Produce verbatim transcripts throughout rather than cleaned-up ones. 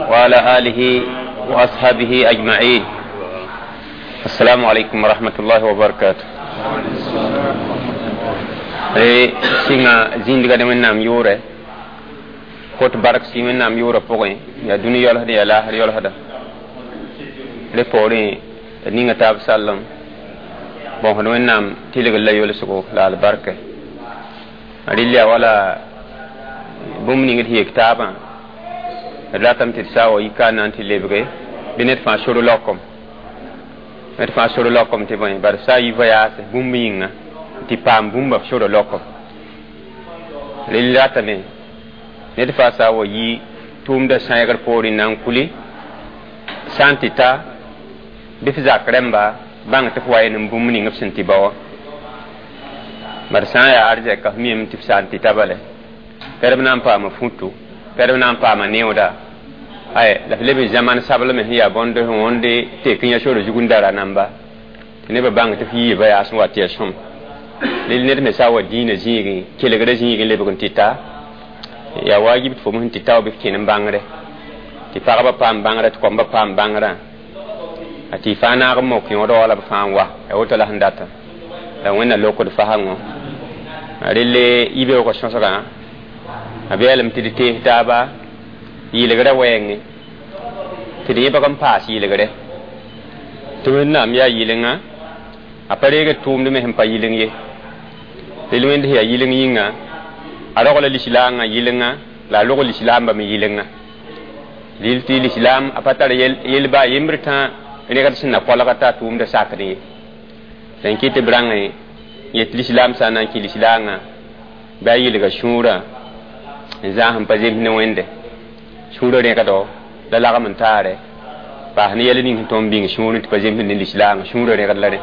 وعلى آله وأصحابه أجمعين. السلام عليكم ورحمة الله وبركاته. sɩnga zĩndga ne Wẽnnaam yʋʋrɛ kot bark sɩ Wẽnnaam yʋʋrã pʋgẽ yaa dũni yaoolsd yaa laasr yaoolsda rẽ poorẽ d ninga taab sallem bõsd Wẽnnaam tɩlgr la yolsgo la albarka rɩl yaa wala bũmb ning d yek taabã d ratame tɩ d saa wa yika n na n tɩ lebge bɩ ned fãa sor laokom ned fãa sor laokom tɩ bõe bari saa yi voyaase bũmb yĩnga tɩ paam bũmba f sora laokom rel ratame ned fãa saa wa yi tʋʋmdã sãeegr poorẽ na n kuli sã n tɩ ta bɩ f zak rẽmba bãng tɩ f wa n bũmb ning f sẽn tɩ ba wã bari sã n yaa arzɛka f miame tɩ f sã n tɩ ta bale pɛrb na n paama futu pɛrb na n paama neooda ay la f leb n zãman sablme sẽn yaa bõnd sẽn wõnde tek n yã sora zug n dara namba tɩ nebã bãng tɩ f yiiba yaa sẽn wa tɩ ya sõm rel ned me sã wa dĩinã zĩigẽ kelgrã zĩigẽ lebg n tɩ ta yaa wajib tɩ fo sẽn tɩ ta wa bɩ f kẽn n bãngre tɩ pagba paam bãngrã tɩ kõmba paam bãngrã a tɩ fãa naag n mok yõodã wala b fãa n wa yaa woto la sẽn data la Wẽnna lokd fasãngõ relle yibeoogã sõsgã a beelame tɩ d tees taaba yɩlgrã wɛɛngẽ tɩ d yẽbg n paas yɩlgre tɩ Wẽnnaam yaa yɩlenga a pa reegd tʋʋmd me sẽn pa yɩleng ye rel Wẽnd sẽn yaa yɩleng yĩnga a rogla lislaangã yɩlenga la a rog lislaambã me yɩlenga rɩl tɩ lislaam a pa tar yel baa yembr tã rẽgd sẽn na kolga t'a tʋʋmdã sakd ye la n kɩt tɩ b rãngẽ yet lislaam sã n na n kɩ lislaangã bɩ a yɩlga sũurã n zãas n pa zems ne Wẽnde sũurã rẽgdo la lagm n taare paas ne yɛl ning sẽn tõnd bĩng sũurẽ tɩ pa zemsd ne lislaangã sũurã rẽgd la rẽ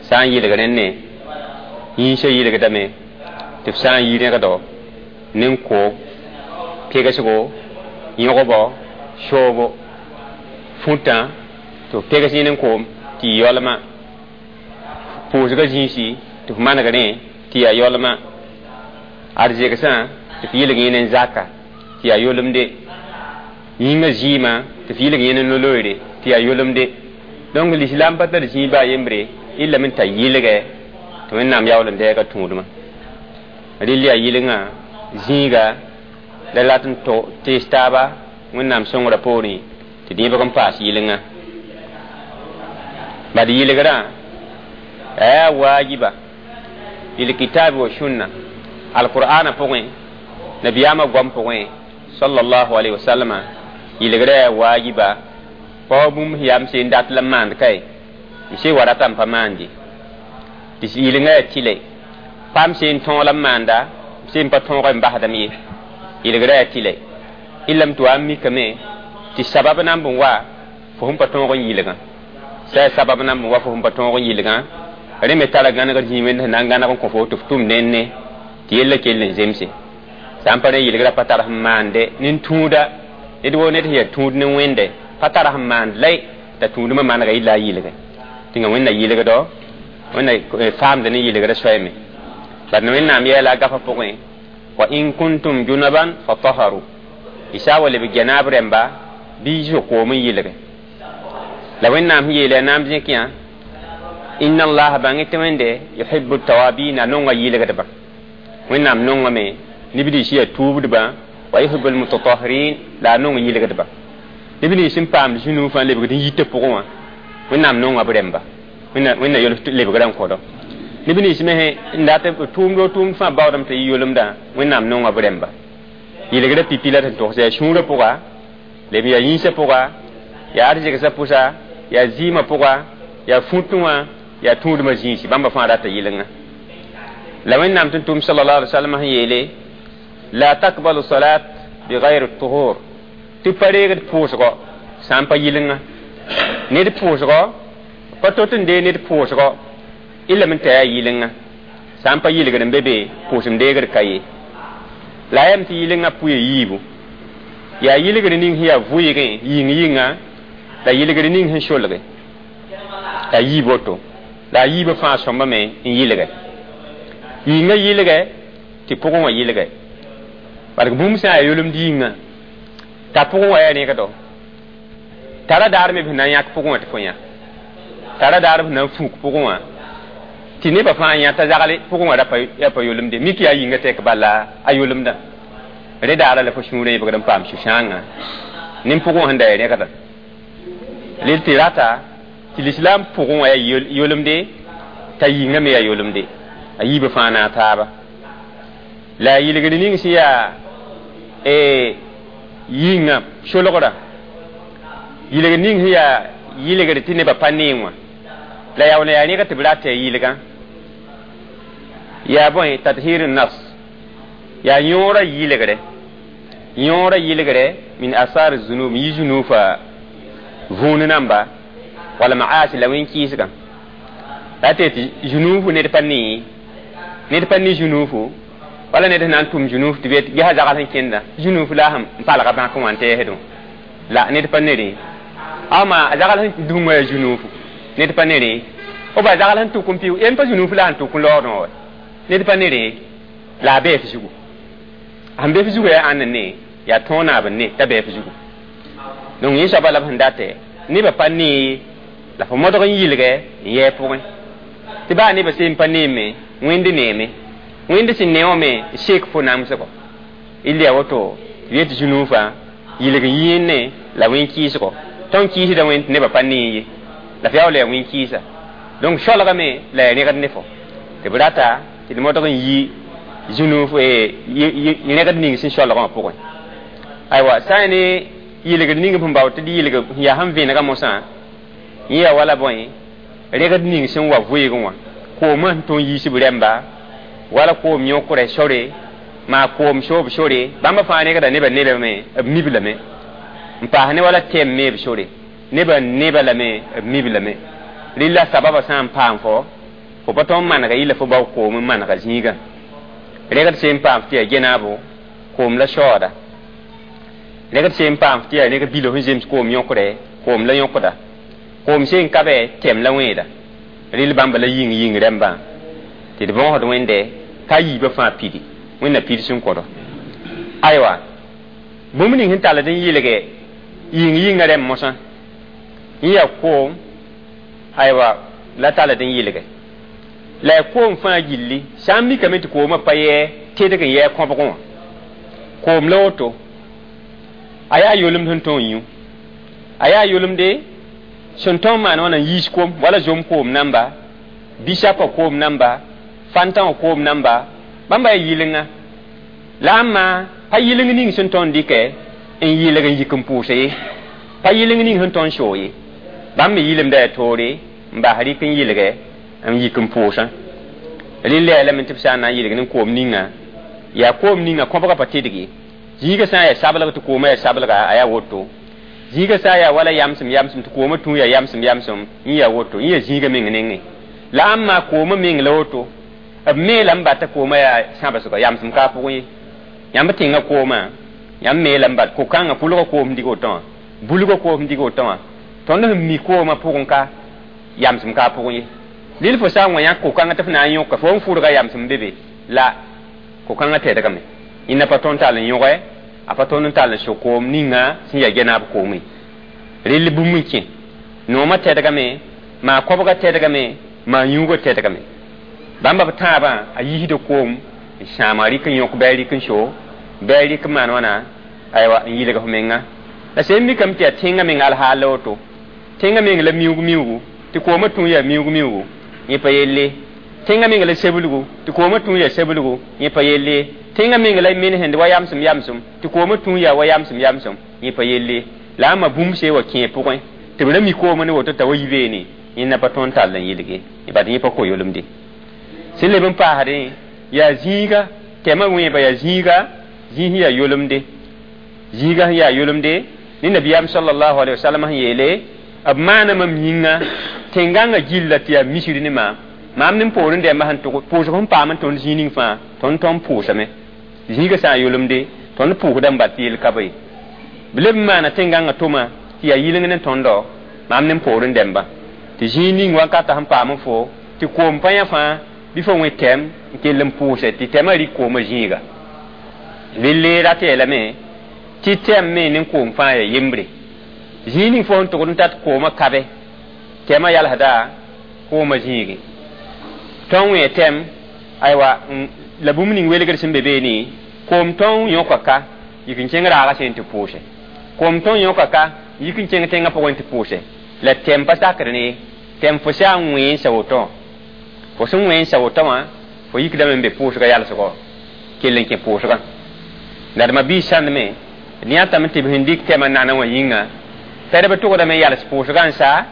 sã n yɩlg rẽnne yĩnsã yɩlgdame tɩ f sã n yi rẽgdo nen-ko pegsgo yõgbo soobo fũtã tɩ f pegs yẽ nen-koom tɩ yɩ yaolmã pʋʋsgã zĩisi tɩ f maneg rẽ tɩ yaa yaolmã arzegsã tɩ f yɩlg yẽ nen-zaka tɩ yaa yolemde yĩngã zɩɩmã tɩ f yɩlg yẽ ne-loeere tɩ yaa yolemde donc l'islam pa tar zĩig baa yembre illa me t'a yɩlgɛ tɩ Wẽnnaam yaool n dɛɛga tũudmã rɩl yaa yɩlengã zĩiga la rat n tees taaba Wẽnnaam sõngrã poorẽ tɩ d yẽbg n paas yɩlengã bad yɩlgrã yaa waajiba bilkitabi wa sunna alqur'ana pʋgẽ nabiyaamã goam pʋgẽ sallallahu alaihi wasallama yɩlgrã yaa waajiba pa bũmb sẽn yaa m seen dat la n maand kae m see wa ratame pa maande tɩ yɩlenga yaa tɩlɛ pa m seen tõog la n maanda m seen pa tõog n basdame ye yɩlgrã yaa tɩlɛ illa m tɩ wa n mikame tɩ sabab na n bõn wa fo sẽn pa tõog n yɩlgã sã yaa sabab na n bõn wa fo sẽn pa tõog n yɩlgã rẽ me tara gãnegr zĩig wẽnd sẽn na n gãneg n kõ fo tɩ f tʋm nenne tɩ yella kell n zemse sã n pa rẽ yɩlgrã pa tar sẽn maande nin-tũuda ned woo ned sẽn yaa tũud ne Wẽnde pa tar sẽn maand lay t'a tũudmã manega yɩla a yɩlgẽ tɩnga Wẽnna yɩlgdo Wẽnna faamd ne yɩlgrã soɛɛme bad Wẽnnaam yɛɛla a gafã pʋgẽ wa in kuntum junaban fataharu y sã wa leb gɛnaab rẽmba bɩ y zo koom n yɩlge la Wẽnnaam sẽn yeela naam zẽk yã inna allaha bãng tɩ Wẽnde yuhibu tawabina nonga yɩlgdbã Wẽnnaam nongame neb nins yaa tuubdbã wa yuhibu almutatahirin la a nong yɩlgdbã neb nins sẽn paamd zĩnuu fãa lebgd n yitã pʋgẽ wã Wẽnnaam nonga b rẽmba Wẽnna yols lebgrã n kõdo neb nins me n dat tʋʋmd tʋʋmd fãa baoodame tɩ yɩ yolemdã Wẽnnaam nonga b rẽmba yɩlgrã pipi la tɩ togs yaa sũurã pʋga leb yaa yĩnsã pʋga yaa arzegsã pʋsa yaa zɩɩmã pʋga yaa fũtẽ wã yaa tũudmã zĩisi bãmba fãa rata yɩlenga la Wẽnnaam tɩ tʋm sallallahu alaihi wasallam sẽn yeele la takbalu salat bighayri tuhur tɩ pa reegd pʋʋsgɔ sã n pa yɩlenga ned pʋʋsgɔ pa tot n dee ned pʋʋsgɔ illa me t'a yaa yɩlenga sã n pa yɩlgd n be be pʋʋsem deegd ka ye la a yam tɩ yɩlenga pʋɩ yiibu yaa yɩlgr ning sẽn yaa vʋɩɩgẽ yĩng yĩnga la yɩlgr ning sẽn solge la yiib woto la a yiibã fãa sõmbame n yɩlgɛ yĩngã yɩlgɛ tɩ pʋgẽ wã yɩlgɛ bark bũmb sã n yaa yolemd yĩnga T'a pʋgẽ wã yaa rẽgdo tara daar me b sẽn na n yãk pʋgẽ wã tɩ fo yã tara daar b sẽn na n fũuk pʋgẽ wã tɩ nebã fãa yã t'a zagl pʋgẽ wã ra pa yolemde mik yaa yĩnga tɛk bala a yolemdã rẽ daara la fo sũurã yẽbgd n paam sũ-sãangã nin pʋgẽ wã sẽn da yaa rẽgda rel tɩ rata tɩ lislaam pʋgẽ wã yaa yolemde t'a yĩnga me yaa yolemde a yiibã fãa naag taaba la a yɩlgr ning sẽn yaa yĩngã solgra yɩlgr ning sẽn yaa yɩlgr tɩ nebã pa neeng wã la yaa wala yaa rẽga tɩ b rata ya yɩlgã yaa bõe tathir nafs yaa yõorã yɩlgre yõorã yɩlgre min asar zunub yi zunufa vũun namba wala maasi la wẽn-kɩɩsgã la tɩ tɩ zunufu ned pa nee ned pa ne zunufu wala ned sẽn na n tʋm zunuf tɩ be gesa zagl sẽn kẽnda zunufu la sẽn palga bãk wã n tɛɛsdẽ la ned pa ne rẽ ama a zagl sẽn dũngã yaa zunufu ned pa ne rẽ b a zagl sẽn tʋk n pɩ yen pa zunufu la sẽn tʋk n laoodẽ wa ned pa ne rẽ la a bɛɛ f zugu sẽn be f zugu yaa ãnd ne yaa tõog naab n ne t'a bɛɛ f zugu donc yẽ soaba la b sẽn datɛ nebã pa nee la fo modg n yɩlgɛ n yɛɛ pʋgẽ tɩ baa nebã seen pa neeme wẽnd neeme wẽnd sẽn ne wã me n sek fo namsgɔ il yaa woto tɩ yet zũnuufã yɩlg n yĩene la wẽn-kɩɩsgɔ tõnd kɩɩsda wẽnd tɩ nebã pa nee ye la f yaa wala yaa wẽn-kɩɩsa donc solgame la yaa rẽgd ne fo tɩ b rata tɩ d modg n yi zũnuuf rẽgd ning sẽn solgã wã pʋgẽ aywa sã n ne yɩlgd ning sẽn bao tɩ d yɩlg sẽn yaa sẽn vẽnega mosã yẽ yaa wala bõe rẽgd ning sẽn wa vɩɩgẽ wã koomã sẽn tõnd yiisb rɛmba wala koom yõkrɛ sore maa koom soob sore bãmba fãa rẽgda nebã nebame b mib lame n paas ne wala tɛm meeb sore nebã neba lame b mib lame rɩla sababã sã n paam fo fo pa tõnd manega yɩla fo bao koom n manega zĩigã rẽgd sẽn paam tɩ yaa genaabo koom la shaooda rẽgd sẽn paam tɩ yaa rẽg bilo sẽn zems koom yõkrɛ koom la yõkda koom sẽn ka bɛ tɛm la wẽeda rɩl bãmba la yĩng yĩng rẽmbã tɩ d bõosd wẽnde ka yiibã fãa pidi wẽnna pid sẽn kõdo aywa bũmb ning sẽn tall n yɩlge yĩng yĩngã rẽmb mosã yẽ yaa koom aywa la tall n yɩlge la yaa koom fãa gilli sã n mikame tɩ koomã pa yɛ tedg n yɛɛ kõbgẽ wã koom la woto a yaa yolemd sẽn tõog n yũ a yaa yolemde sẽn tõog n maan wãna n yiis kom wala zom koom namba bisapa koom namba fanta wã koom namba bãmba yaa yɩlenga la ãmma pa yɩleng ning sẽn tõnd dɩkɛ n yɩlg n yik n pʋʋsa ye pa yɩleng ning sẽn tõnd soog ye bãmb me yɩlemda yaa toore n bas rɩk n yɩlgɛ n yik n pʋʋsã rɩ la lame tɩ b sã n na n yɩlg ne koom ninga yaa koom ninga kõbga pa tedg ye zĩigã sã n yaa sablg tɩ koomã yaa sablga a yaa woto zĩigã sã n yaa wala yamsem yamsem tɩ koomã tũ yaa yamsem yamsem yẽ yaa woto yẽ yaa zĩigã meng nengẽ la ãmma koomã meng la woto b meelame bata koomã yaa sãbsgɔ yamsem ka pʋgẽ ye yãmb tẽngã koomã yãmb meelame bat ko-kãngã pʋlgã koom dig woto wã bulgã koom dig woto wã tõnd sẽn mi koomã pʋgẽ ka yamsem ka pʋgẽ ye lil fo sã n wa yãk ko-kãngã tɩ f na n yõka fo n fʋrga yamsem be be la ko-kãngã tɛdgame yẽnda pa tõnd tall n yõge a pa tõnd n tall n sok koom ninga sẽn yaa genaab koome rell bũmb n kẽ noomã tɛdgame maa kobgã tɛdgame maa yũugã tɛdgame bãmba b tãabã a yiisda koom n sãama rɩk n yõk bɩ a rɩk n so bɩ a rɩk n maan wãna aywa n yɩlg f menga la sẽn mikame tɩ yaa tẽngã meng alhaal la woto tẽngã meng la miuug miuugu tɩ koomã tũ yaa miuug miuugu yẽ pa yelle tẽngã meng la seblgu tɩ koomã tũ yaa seblgu yẽ pa yelle tẽngã meng la mensẽnd wa yamsem yamsem tɩ koomã tũ yaa wa yamsem yamsem yẽ pa yelle la ãmma bũmb see wa kẽe pʋgẽ tɩ b ra mi koomã ne woto t'a wa yi beene yẽnda pa tõnd tall n yɩlge bat yẽ pa ko-yolemde sẽn leb n paasdẽ yaa zĩiga tɛmã wẽeba yaa zĩiga zĩis yaa yolemde zĩiga sẽn yaa yolemde ne nabiyaam sallallahu alaihi wasallam sẽn yeele b maana mam yĩnga tẽngãngã gilla tɩ yaa misr ne maam maam ne poorẽ dɛmba sẽn tʋg pʋʋsg sẽn paam n tõnd zĩig ning fãa tõnd tõnd pʋʋsame zĩigã sã n yolemde tõnd pʋʋsda n bat tɩ yel ka be b leb n maana tẽngãngã tʋma tɩ yaa yɩleng ne tõndo maam ne poorẽ dɛmba tɩ zĩig ning wankata sẽn paam fo tɩ koom pa yã fãa bɩ fo wẽ tɛm n kell n pʋʋse tɩ tɛmã rɩk koomã zĩiga relle rat yeelame Tɩ tɛm me ne koom fãa ya yembre. Zĩig ning fo sẽn tʋgd n tat koomã kabe, tɛmã yalsda koomã zĩigẽ. Tõnd wẽ tɛm, aywa, la bũmb ning welgr sẽn be beene, koom tõng yõka ka yik n kẽng raagã sẽn tɩ pʋʋse. Koom tõng yõka ka yik n kẽng tẽngã pʋgẽ tɩ pʋʋse. La tɛm pa sakd ne tɛm fo sã n wẽ n sa woto. Fo sẽn wẽ n sa woto wã, fo yikdame n be pʋʋsgã yalsgɔ, kell n kẽ pʋʋsgã. La d ma-biis sãndme, d yãtame tɩ b sẽn dɩk tɛmã nana wã yĩnga, tɛdb tʋgdame n yals pʋʋsgã n sa,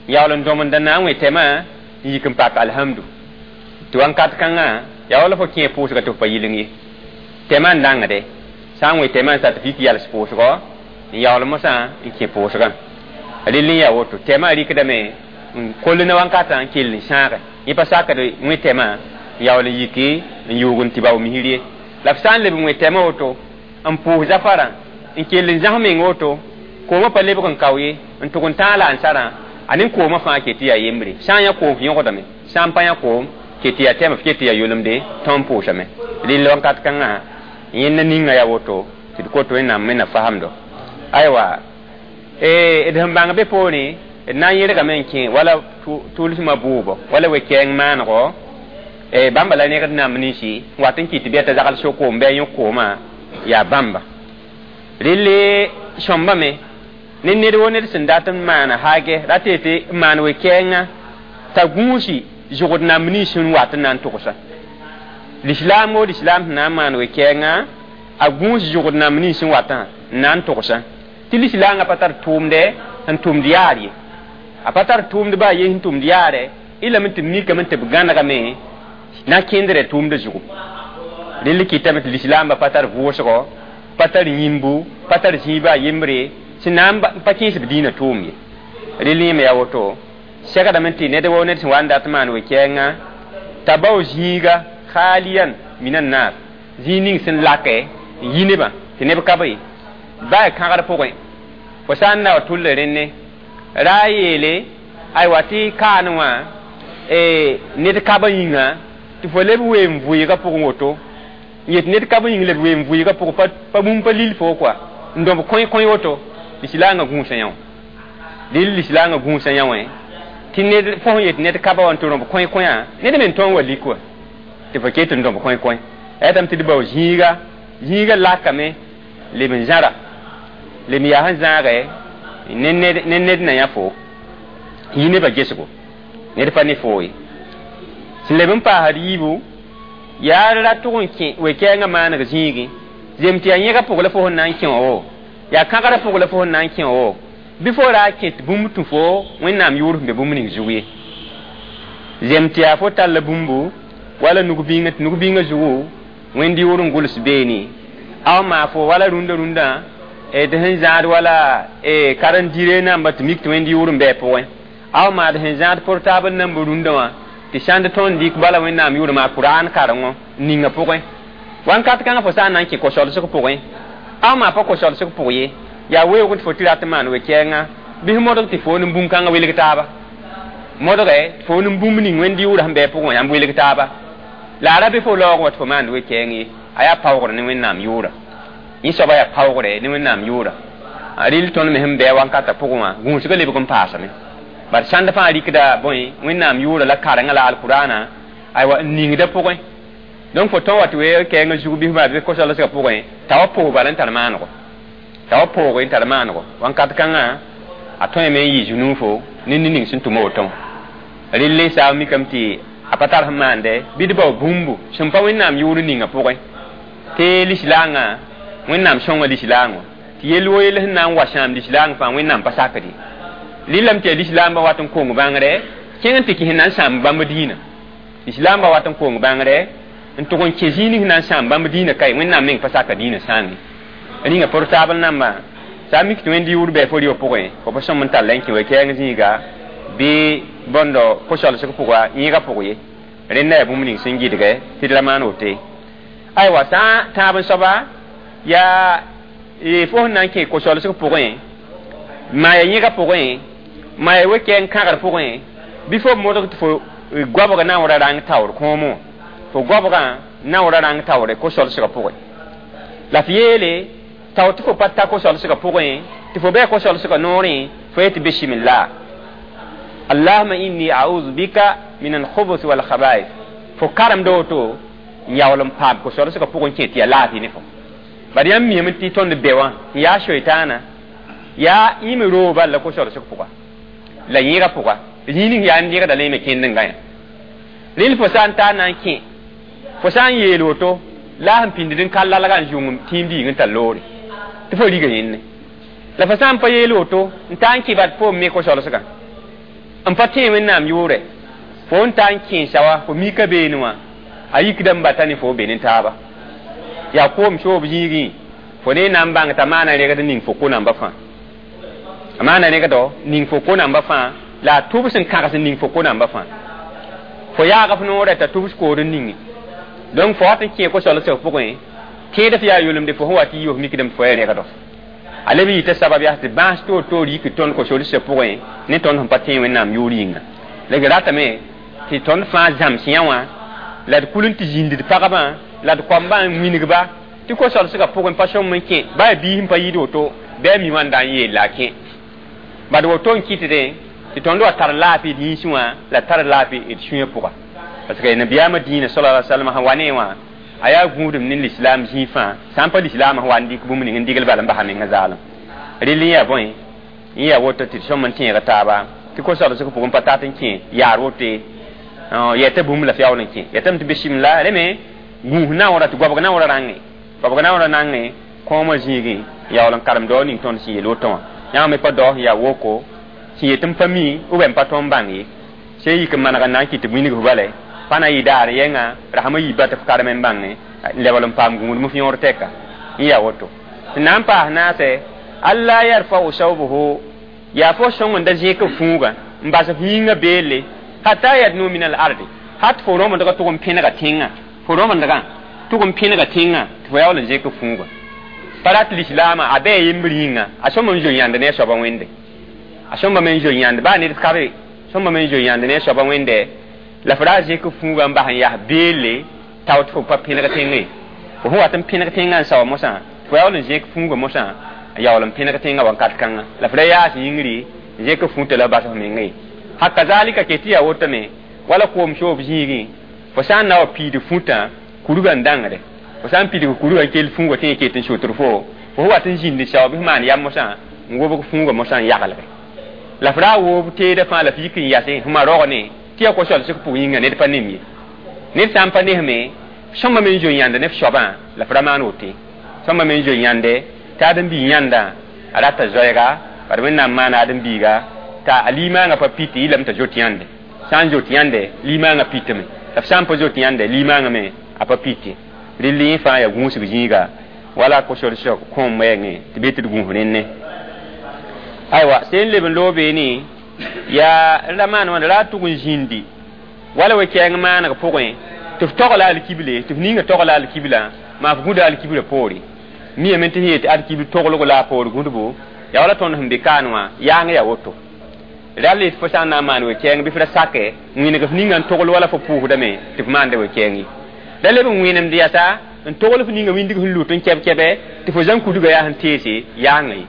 yaool n dõmend n na n wẽ tɛmã n yik n pak alhamdu. Tɩ wãnkat kãngã, yaa wala fo kẽ pʋʋsga tɩ f pa yɩleng ye. Tɛmã n dãngde, sã n wẽ tɛmã n sa tɩ f yik yals pʋʋsgɔ, n yaool mosã n kẽ pʋʋsgã. Rɩl n yaa woto, tɛmã rɩkdame n koll ne wãnkatã n kell n sãage. Yẽ pa sakd wẽ tɛmã n yaool n yiki n yʋʋg n tɩ bao misir ye. La f sã n leb n wẽ tɛmã woto, n pʋʋs zafarã, n kell n zãs meng woto, koomã pa lebg n kao ye, n tʋg n tãag la n sarã, a ne koomã fãa ket tɩ yaa yembre. Sã n yã koom f yõgdame, sã n pa yã koom, ket tɩ yaa tɛm, f ket tɩ yaa yolemde, tõnd pʋʋsame. Rɩl wãnkat kãngã, yẽnda ninga yaa woto, tɩ d kot Wẽnnaam me na fasamdo. Aywa, d sẽn bãng be poorẽ, d na n yẽrgame n kẽ wala tʋlsmã bʋʋbɔ, wala we-kɛɛng maanego, bãmba la negd namb ninsi wat n kɩt tɩ bɩ t'a zagl so-koom bɩ a yõk koomã yaa bãmba. Relle sõmbame ne ned wo ned sẽn dat n maana haage ra tɩ tɩ n maan we-kɛɛngã t'a gũusi zʋgd namb nins sẽn wat n na n tʋgsa. Lislaam wo lislaam sẽn na n maan we-kɛɛngã, a gũus zʋgd namb nins sẽn watã n na n tʋgsa. Tɩ lislaangã pa tar tʋʋmdɛ sẽn tʋmd yaar ye. A pa tar tʋʋmd baa ye sẽn tʋmd yaarɛ, y lame tɩ b mikame tɩ b gãnegame na kẽndrã tʋʋmdã zugu. Rẽnd kɩtame tɩ lislaambã pa tar vʋʋsgɔ, pa tar yĩmbu, pa tar zĩiba yembre, sẽn na n pa kẽes b dĩinã tʋʋm ye. Rẽnd yẽme yaa woto, segdame tɩ ned wo ned sẽn wa n dat maan we-kɛɛngã, t'a bao zĩiga khaliyan minan nar, zĩig ning sẽn lakɛ n yi nebã tɩ neb ka be baa kãgr pʋgẽ. Fo sã n na wa tʋlla rẽnne, ra a yeele, aywa tɩ kaan wã ned kabã yĩnga, tɩ fo leb ween vʋɩɩgã pʋgẽ woto, n yet ned kab yĩng leb ween vʋɩɩgã pʋgẽ pa bũmb pa lil fo kɔa, n dõb kõi-kõi woto, lislaangã gũusã yã wã. Rɩl lislaangã gũusã yã wã, tɩ ned fo sẽn yet ned kaba wã tɩ rõb kõi-kõyã, ned me n tõog wa lik wa, tɩ fo ket n dõb kõi-kõi. Ayetame tɩ d bao zĩiga, zĩiga lakame leb n zãra, leb n yaa sẽn zãagɛ ne ned na yã fo, yi nebã gesgo, ned pa ne foo ye. Sẽn leb n paasd yiibu, yaa ra tʋg n kẽ we-kɛɛngã maaneg zĩigẽ, zem tɩ yaa yẽga pʋg la fo sẽn na n kẽ wã wo, yaa kãgrã pʋg la fo sẽn na n kẽ wã wo, bɩ fo ra kẽ tɩ bũmb tũ fo Wẽnnaam yʋʋr sẽn be bũmb ning zug ye. Zem tɩ yaa fo talla bũmbu wala nug-bĩngã, tɩ nug-bĩngã zugu Wẽnd yʋʋr n gʋls beene, a maa fo wala rũndã rũndã d sẽn zãad wala karen-dire namba tɩ mik tɩ Wẽnd yʋʋr n bɩ a pʋgẽ, a maa d sẽn zãad portable namba rũndã wã tɩ sãnd tõnd dɩk bala Wẽnnaam yʋʋr maa Kuraan karengõ n ninga pʋgẽ. Wãnkat kãngã fo sã n na n kẽ ko-solsg pʋgẽ, a maa pa ko-solsg pʋg ye, yaa weoog tɩ fo tɩ rat n maan we-kɛɛngã, bɩ modg tɩ fo ne bũn-kãngã welg taaba. Modgɛ fo ne bũmb ning Wẽnd yʋʋr sẽn bɩ a pʋgẽ wã yãmb welg taaba. La a ra bɩ fo laoog wã tɩ fo maand we-kɛɛng ye, a yaa paoogr ne Wẽnnaam yʋʋra. Yẽ soaba yaa paoogre ne Wẽnnaam yʋʋra. Rɩl tõnd me sẽn bɩ a wãnkatã pʋgẽ wã, gũusgã lebg n paasame. Bar sãnd fãa rɩkda bõe Wẽnnaam yʋʋra la karengã la alkuraanã, aywa n ningda pʋgẽ. Donc fo tõn wa tɩ we kɛɛngã zug bɩ maa bɩ ko-solsgã pʋgẽ, t'a wa pʋʋg bala n tar maanego. T'a wa pʋʋg n tar maanego. Wãnkat kãngã, a tõeme n yɩ zu-nuufo ne ned ning sẽn tʋm woto. Rɩl n saam mikame tɩ a pa tar sẽn maande, bɩ d bao bũmbu sẽn pa Wẽnnaam yʋʋr ninga pʋgẽ. Tɩ lislaangã, Wẽnnaam sõnga lislaangã, tɩ yell wo yell sẽn na n wa sãam lislaang fãa Wẽnnaam pa sakd ye. Rɩlame tɩ yaa lislaambã wat n kong bãngre, kẽng n tɩ kɩs n na n sãam bãmb dĩinã. Lislaambã wat n kong bãngre, n tʋg n kẽ zĩig ning sẽn na n sãam bãmb dĩinã kae, Wẽnnaam meng pa saka dĩinã sãam ye. Rĩnga portable namba, sã n mik tɩ Wẽnd yʋʋr bɩ fo rɩ pʋgẽ, fo pa sõm n tall n kẽ we-kɛɛng zĩiga, bɩ bõndo ko-solsg pʋga, yẽega pʋg ye. Rẽnda yaa bũmb ning sẽn gɩdgɛ tɩ d ra maan woto ye. Aywa, sã n tãab n soaba, yaa fo sẽn na n kẽ ko-solsg pʋgẽ, maa ya yẽga pʋgẽ, maa ya we-kɛɛng kãgr pʋgẽ, bɩ fo modg tɩ fo goabg na n ra rãng taoor kõomo, fo goabgã na n ra rãng taoore ko-solsgã pʋgẽ. La f yeele tao tɩ fo pa ta ko-solsgã pʋgẽ tɩ fo bɩ ko-solsgã noorẽ fo yetɩ bismillah allahuma inni a'udhu bika min al-khubuth wal khaba'ith fo karemda woto n yaool n paam ko-solsgã pʋgẽ kẽ tɩ yaa laafɩ ne fo bad yãmb miame tɩ tõnd be wã n yaa soitaana yaa yĩm roog bal la ko-solsg pʋga la yẽega pʋga zĩig ning yaa n dɩgda la yẽ me kẽnd n gã yã rel fo sã n taa na n kẽ fo sã n yeel woto la sẽn pĩnd n ka lalga n zũng tĩim diig n tar loore tɩ fo riga yẽnne la fo sã n pa yeel woto n taa n kẽ bad fo me ko-solsgã n pa tẽe wẽnnaam yʋʋrɛ fo n taa n kẽesa wa fo mika beene wã a yikda n bata ne fo be ne taaba yaa koom soob zĩigẽ fo ne na n bãng t'a maana rẽgd ning fo ko-namba fãa a maana rẽgdo ning fo ko-namba fãa la a tʋbs n kãgs n ning fo ko-namba fãa fo yaag f noorɛ t'a tʋbs kood n ninge donc fo wat n kẽ ko-solsg pʋgẽ tẽed f yaa yolemde fo sẽn wa tɩ yi f mikdame fo ya rẽgdo a leb yita sabab yaa tɩ bãas toor toor yik tõnd ko-solsg pʋgẽ ne tõnd sẽn pa tẽ wẽnnaam yʋʋr yĩnga la d ratame tɩ tõnd fãa zãms yã wã la d kul n tɩ zĩnd d pagba la d koambã n wingba tɩ ko-solsgã pʋgẽ pa sõm n kẽ baa biis n pa yɩɩd woto bɩ a mi wã n da n yeel la a kẽ bad woto n kɩtdẽ tɩ tõnd wa tar laafɩ d yĩnsẽ wã la tar laafɩ d sũyã pʋga parce que nabiyaamã dĩinã sala alaihi wasallam sẽn wa ne wã a yaa gũudum ne lislaam zĩig fãa sã n pa lislaam sẽn wa n dɩk bũmb ning n digl bala n basa menga zaalem rel n yaa bõe n yaa woto tɩ d sõm n tẽega taaba tɩ ko-solsg pʋgẽ pa tat n kẽ yaar wote yɛta bũmb la f yaool n kẽ yɛtame tɩ bisimla rẽ me gũus naoora tɩ goabg naoora rãngẽ goabg naoora nangẽ kõomã zĩigẽ yaool n karem dao ning tõnd sẽn yeel woto wã yãmb me pa dao sẽn yaa woko sẽn yet n pa mi ou bien n pa tõnd n bãng ye sẽn yik n maneg n na n kɩt tɩ wingf bala pa na yɩ daar yɛnga rasmã yiiba tɩ f karem n bãngẽ n lebl n paam gũudem f yõor tɛka n yaa woto tɩ na n paas naasɛ alla yarfau sawbuhu yaa fo sõng n da zẽk f fũuga n bas f yĩngã beelle hatta yadnu min al ardi hat fo rõmdgã tʋg n pẽnega tẽngã fo rõmdgã tʋg n pẽnega tẽngã tɩ fo yaool n zẽk f fũuga pa rat lislaamã a bɩ a yembr yĩnga a sõm n zo yãnd ne a soaba wẽnde a sõmba me n zo yãnd baa ned kabe sõmba me n zo yãnd ne a soaba wẽnde la f ra zẽk fũuga n bas n yaa beelle tao tɩ fo pa pẽneg tẽngẽ fo sẽn wat n pẽneg tẽngã n saoa mosã fo yaool n zẽk fũuga mosã n yaool n pẽneg tẽngã wakat kãngã la f ra yaas yĩngri n zẽk fũutã la bas f mengã ye hakazalika ke tɩ yaa wotame wala koom soob zĩigẽ fo sã n na wa piid fũtã kurgã n dãngde fo sã n pidg kurgã n kell fũuga tɩ ket n sotr fo fo wat n zĩnd sao bɩ f maan yam mosã n wobg fũuga mosã n yaglge la f ra woob teedã fãa la f yik n yase f ma rogne tɩ yaa ko-solsg pʋg yĩnga ned pa nem ye ned sã n pa nesme sõmba me n zoe yãnd ne f soabã la f ra maan wote sõmba me n zoe yãnde tɩ ãdem-biig yãnda a rata zoɛɛga bad wẽnnaam maana ãdem-biiga t'a a limaangã pa pit yɩlame t'a zot yãnde sã n zot yãnde limaangã pitame la f sã n pa zot yãnde limaangã me a pa pite rel yẽ fãa yaa gũusg zĩiga wala ko-solsg kõom wɛɛngẽ tɩ be tɩ d gũus rẽnne aywa sẽn leb n loog beene yaa ra maan wãnda ra tʋg n zĩndi wala we-kɛɛng maaneg pʋgẽ tɩ f togla alkible tɩ f ninga togla alkibla maa f gũda alkiblã poore miyame tɩ sẽn yet alkibl toglg la a poor gũdbo yaa wala tõnd sẽn be kaan wã yaang yaa woto rall fo sã n na n maan we-kɛɛng bɩ f ra sake wĩneg f ninga n togl wala fo pʋʋsdame tɩ f maanda we-kɛɛng ye la leb n wẽnemd yasa n togl f ninga wĩndg sẽn lut n kɛb kɛbɛ tɩ fo zãn kudga yaa sẽn teese yaanga ye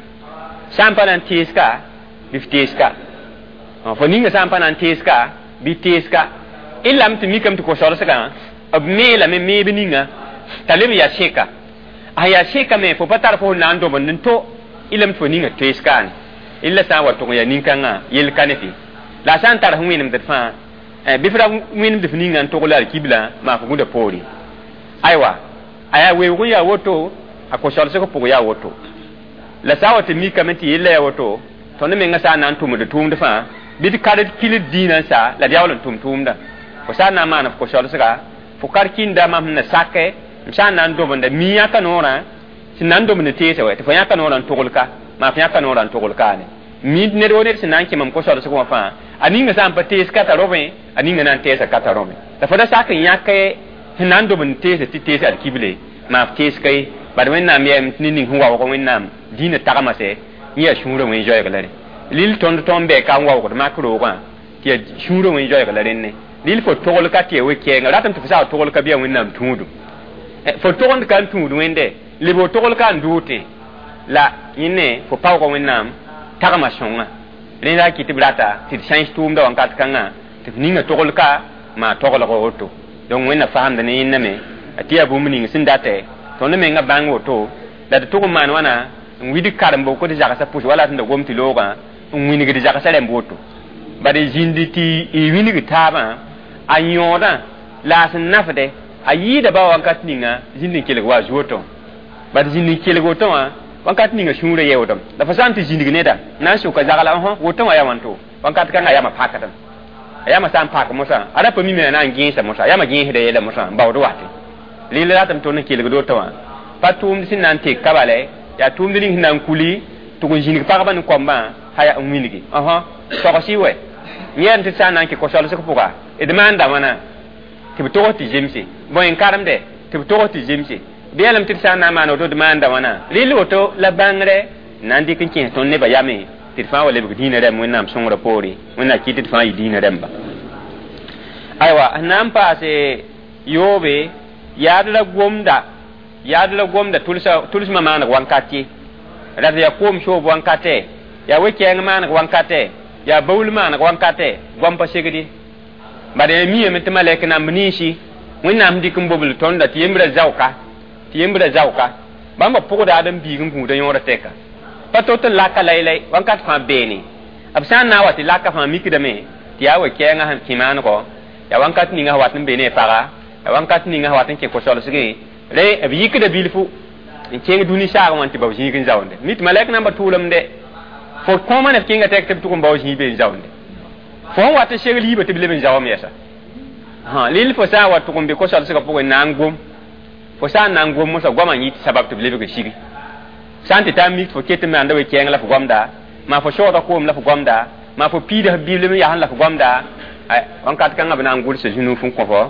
sã n pa na n tees-ka bɩ f tees-ka fo ninga sã n pa na n tees-ka bɩ tees-ka y lame tɩ mikame tɩ ko-solsgã b meelame meeb ninga t'a leb n yaa sẽka a yaa sẽka me fo pa tar fo sẽn na n dobend n to y lame tɩ fo ninga tees-kaane illa sã n wa tʋg n yaa nin-kãngã yell ka ne fɩ la a sã n tar sẽn wẽnemd d fãa bɩ f ra wẽnemd f ninga n togl alkibla maa f gũda poore aywa a yaa weoog n yaa woto a ko-solsg pʋg yaa woto la sã n wa tɩ mikame tɩ yella yaa woto tõnd menga sã n na n tʋmd tʋʋmd fãa bɩ d kad kil dĩinã n sa la d yaool n tʋm tʋʋmda fo sã n na n maan f ko-solsga fo kar kĩnda mam sẽn na sakɛ m sã n na n dobenda mi yãka noorã sẽn na n dobend teesa wɛ tɩ fo yãka noorã n togl ka maa fo yãka noorã n togl kaane mi ned wo ned sẽn na n kẽ mam ko-solsg wã fãa a ninga sã n pa tees ka t'a robẽ a ninga na n teesa ka t'a robẽ la fo da sak n yãk sẽn na n dobend teesa tɩ tees alkible maa f tees ka ye bad wẽnnaam yɛm tɩ ne ning sẽn waoog wẽnnaam dĩinã tagma sɛ yẽ yaa sũurã wẽn zoɛɛg la rẽ lil tõnd tõnd bɛ ka n waoogd mak roogã tɩ yaa sũurã wẽn zoɛɛg la rẽnne lil fo togl ka tɩ yaa we-kɛɛnga ratame tɩ fo saa togl ka bɩ yaa wẽnnaam tũudum fo togend ka n tũud wẽnde leb fo togl ka n dʋʋtẽ La yẽne fo paoogã Wẽnnaam tagma sõnga rẽ la kɩ tɩ b rata tɩ d sãens tʋʋmda wãnkat kãngã tɩ f ninga togl ka maa toglg woto. Donc Wẽnna faamda ne yẽnda me tɩ yaa bũmb ning sẽn datɛ tõnd menga bãng woto la tɩ tʋg n maan wãna n wid karembo tɩ zagsã pʋs wala sẽn da gom tɩ loogã n wingd zagsã rãmb woto bad zĩndi tɩ y wingd taabã a yõodã la a sẽn nafde a yɩɩda ba wakat ninga zĩnd n kelg wa zuo tõ bad zĩnd n kelg woto wã wakat ninga sũurã yeoodem la fo sã n tɩ zĩndg neda na n sʋka zagla õ woto wã yaa wãnto wakat kãngã yama pakdem a yama sã n pak mosã a ra pa mime a na n gẽesa mosã a yama gẽesda yɛla mosã n baood wate rɩla ratame tõnd n kelgd woto wã pa tʋʋmd sẽn na n tek ka bala yaa tʋʋmd ning sẽn na n kuli tʋg n zĩnig pagba ne koambã ha n wilgi ɔhɔ togsɩ wɛ yẽem tɩ sã n na n kɩ ko-solsg pʋga d maanda wãna tɩ b togs tɩ zemse bõe n karemde tɩ b togs tɩ zemse bɩ yãlem tɩ d sã n na n maan woto d maanda wãna rɩl woto la bãngrɛ na n dɩk n kẽes tõnd nebã yame tɩ d fãa wa lebg dĩinã rãmb Wẽnnaam sõngrã poore Wẽnnaam kɩt tɩ d fãa yɩ dĩinã rãmba. Aywa sẽn na n paase yoobe yaad la gomda yaad la gomda tʋlsmã maaneg wãnkat ye rat yaa koom soob wãnkatɛ yaa we-kɛɛng maaneg wãnkatɛ yaa baool maaneg wãnkatɛ goam pa segd ye bad yaa miame tɩ malɛk namb ninsi Wẽnnaam sẽn dɩk n bobl tõnda tɩ yembrã zaoka tɩ yembrã zaoka bãmba pʋgda ad n biig n gũuda yõorã tɛka pa to tɩ laka laylay wãnkat fãa beene b sã n na n wa tɩ laka fãa mikdame tɩ yaa we-kɛɛngã sẽn kẽ maanegɔ yaa wãnkat ninga sẽn wat n be ne paga yaa wãnkat ninga sẽn wat n kẽ ko-solsgẽ rẽ b yikda bilfu n kẽng dũni saagẽ wã tɩ bao zĩig n zaoonde mi tɩ malɛk namba tʋʋlemde fo kõoma ne f kẽnga tɛk tɩ b tʋg n bao zĩig be n zaoonde fo sẽn wat n segl yiibã tɩ b leb n zaoom yɛsa lil fo sã n wa tʋg n be ko-solsgã pʋgẽ na n gom fo sã n na n gom mosã goamã n yɩ tɩ sabab tɩ b lebg n sigi sã n tɩ taa mik fo ket n maanda we-kɛɛng la f goamda maa fo soogda koom la f goamda maa fo piida f biblem yasẽ la f goamda wãnkat kãngã b na n gʋlsa zũnuuf n kõ fo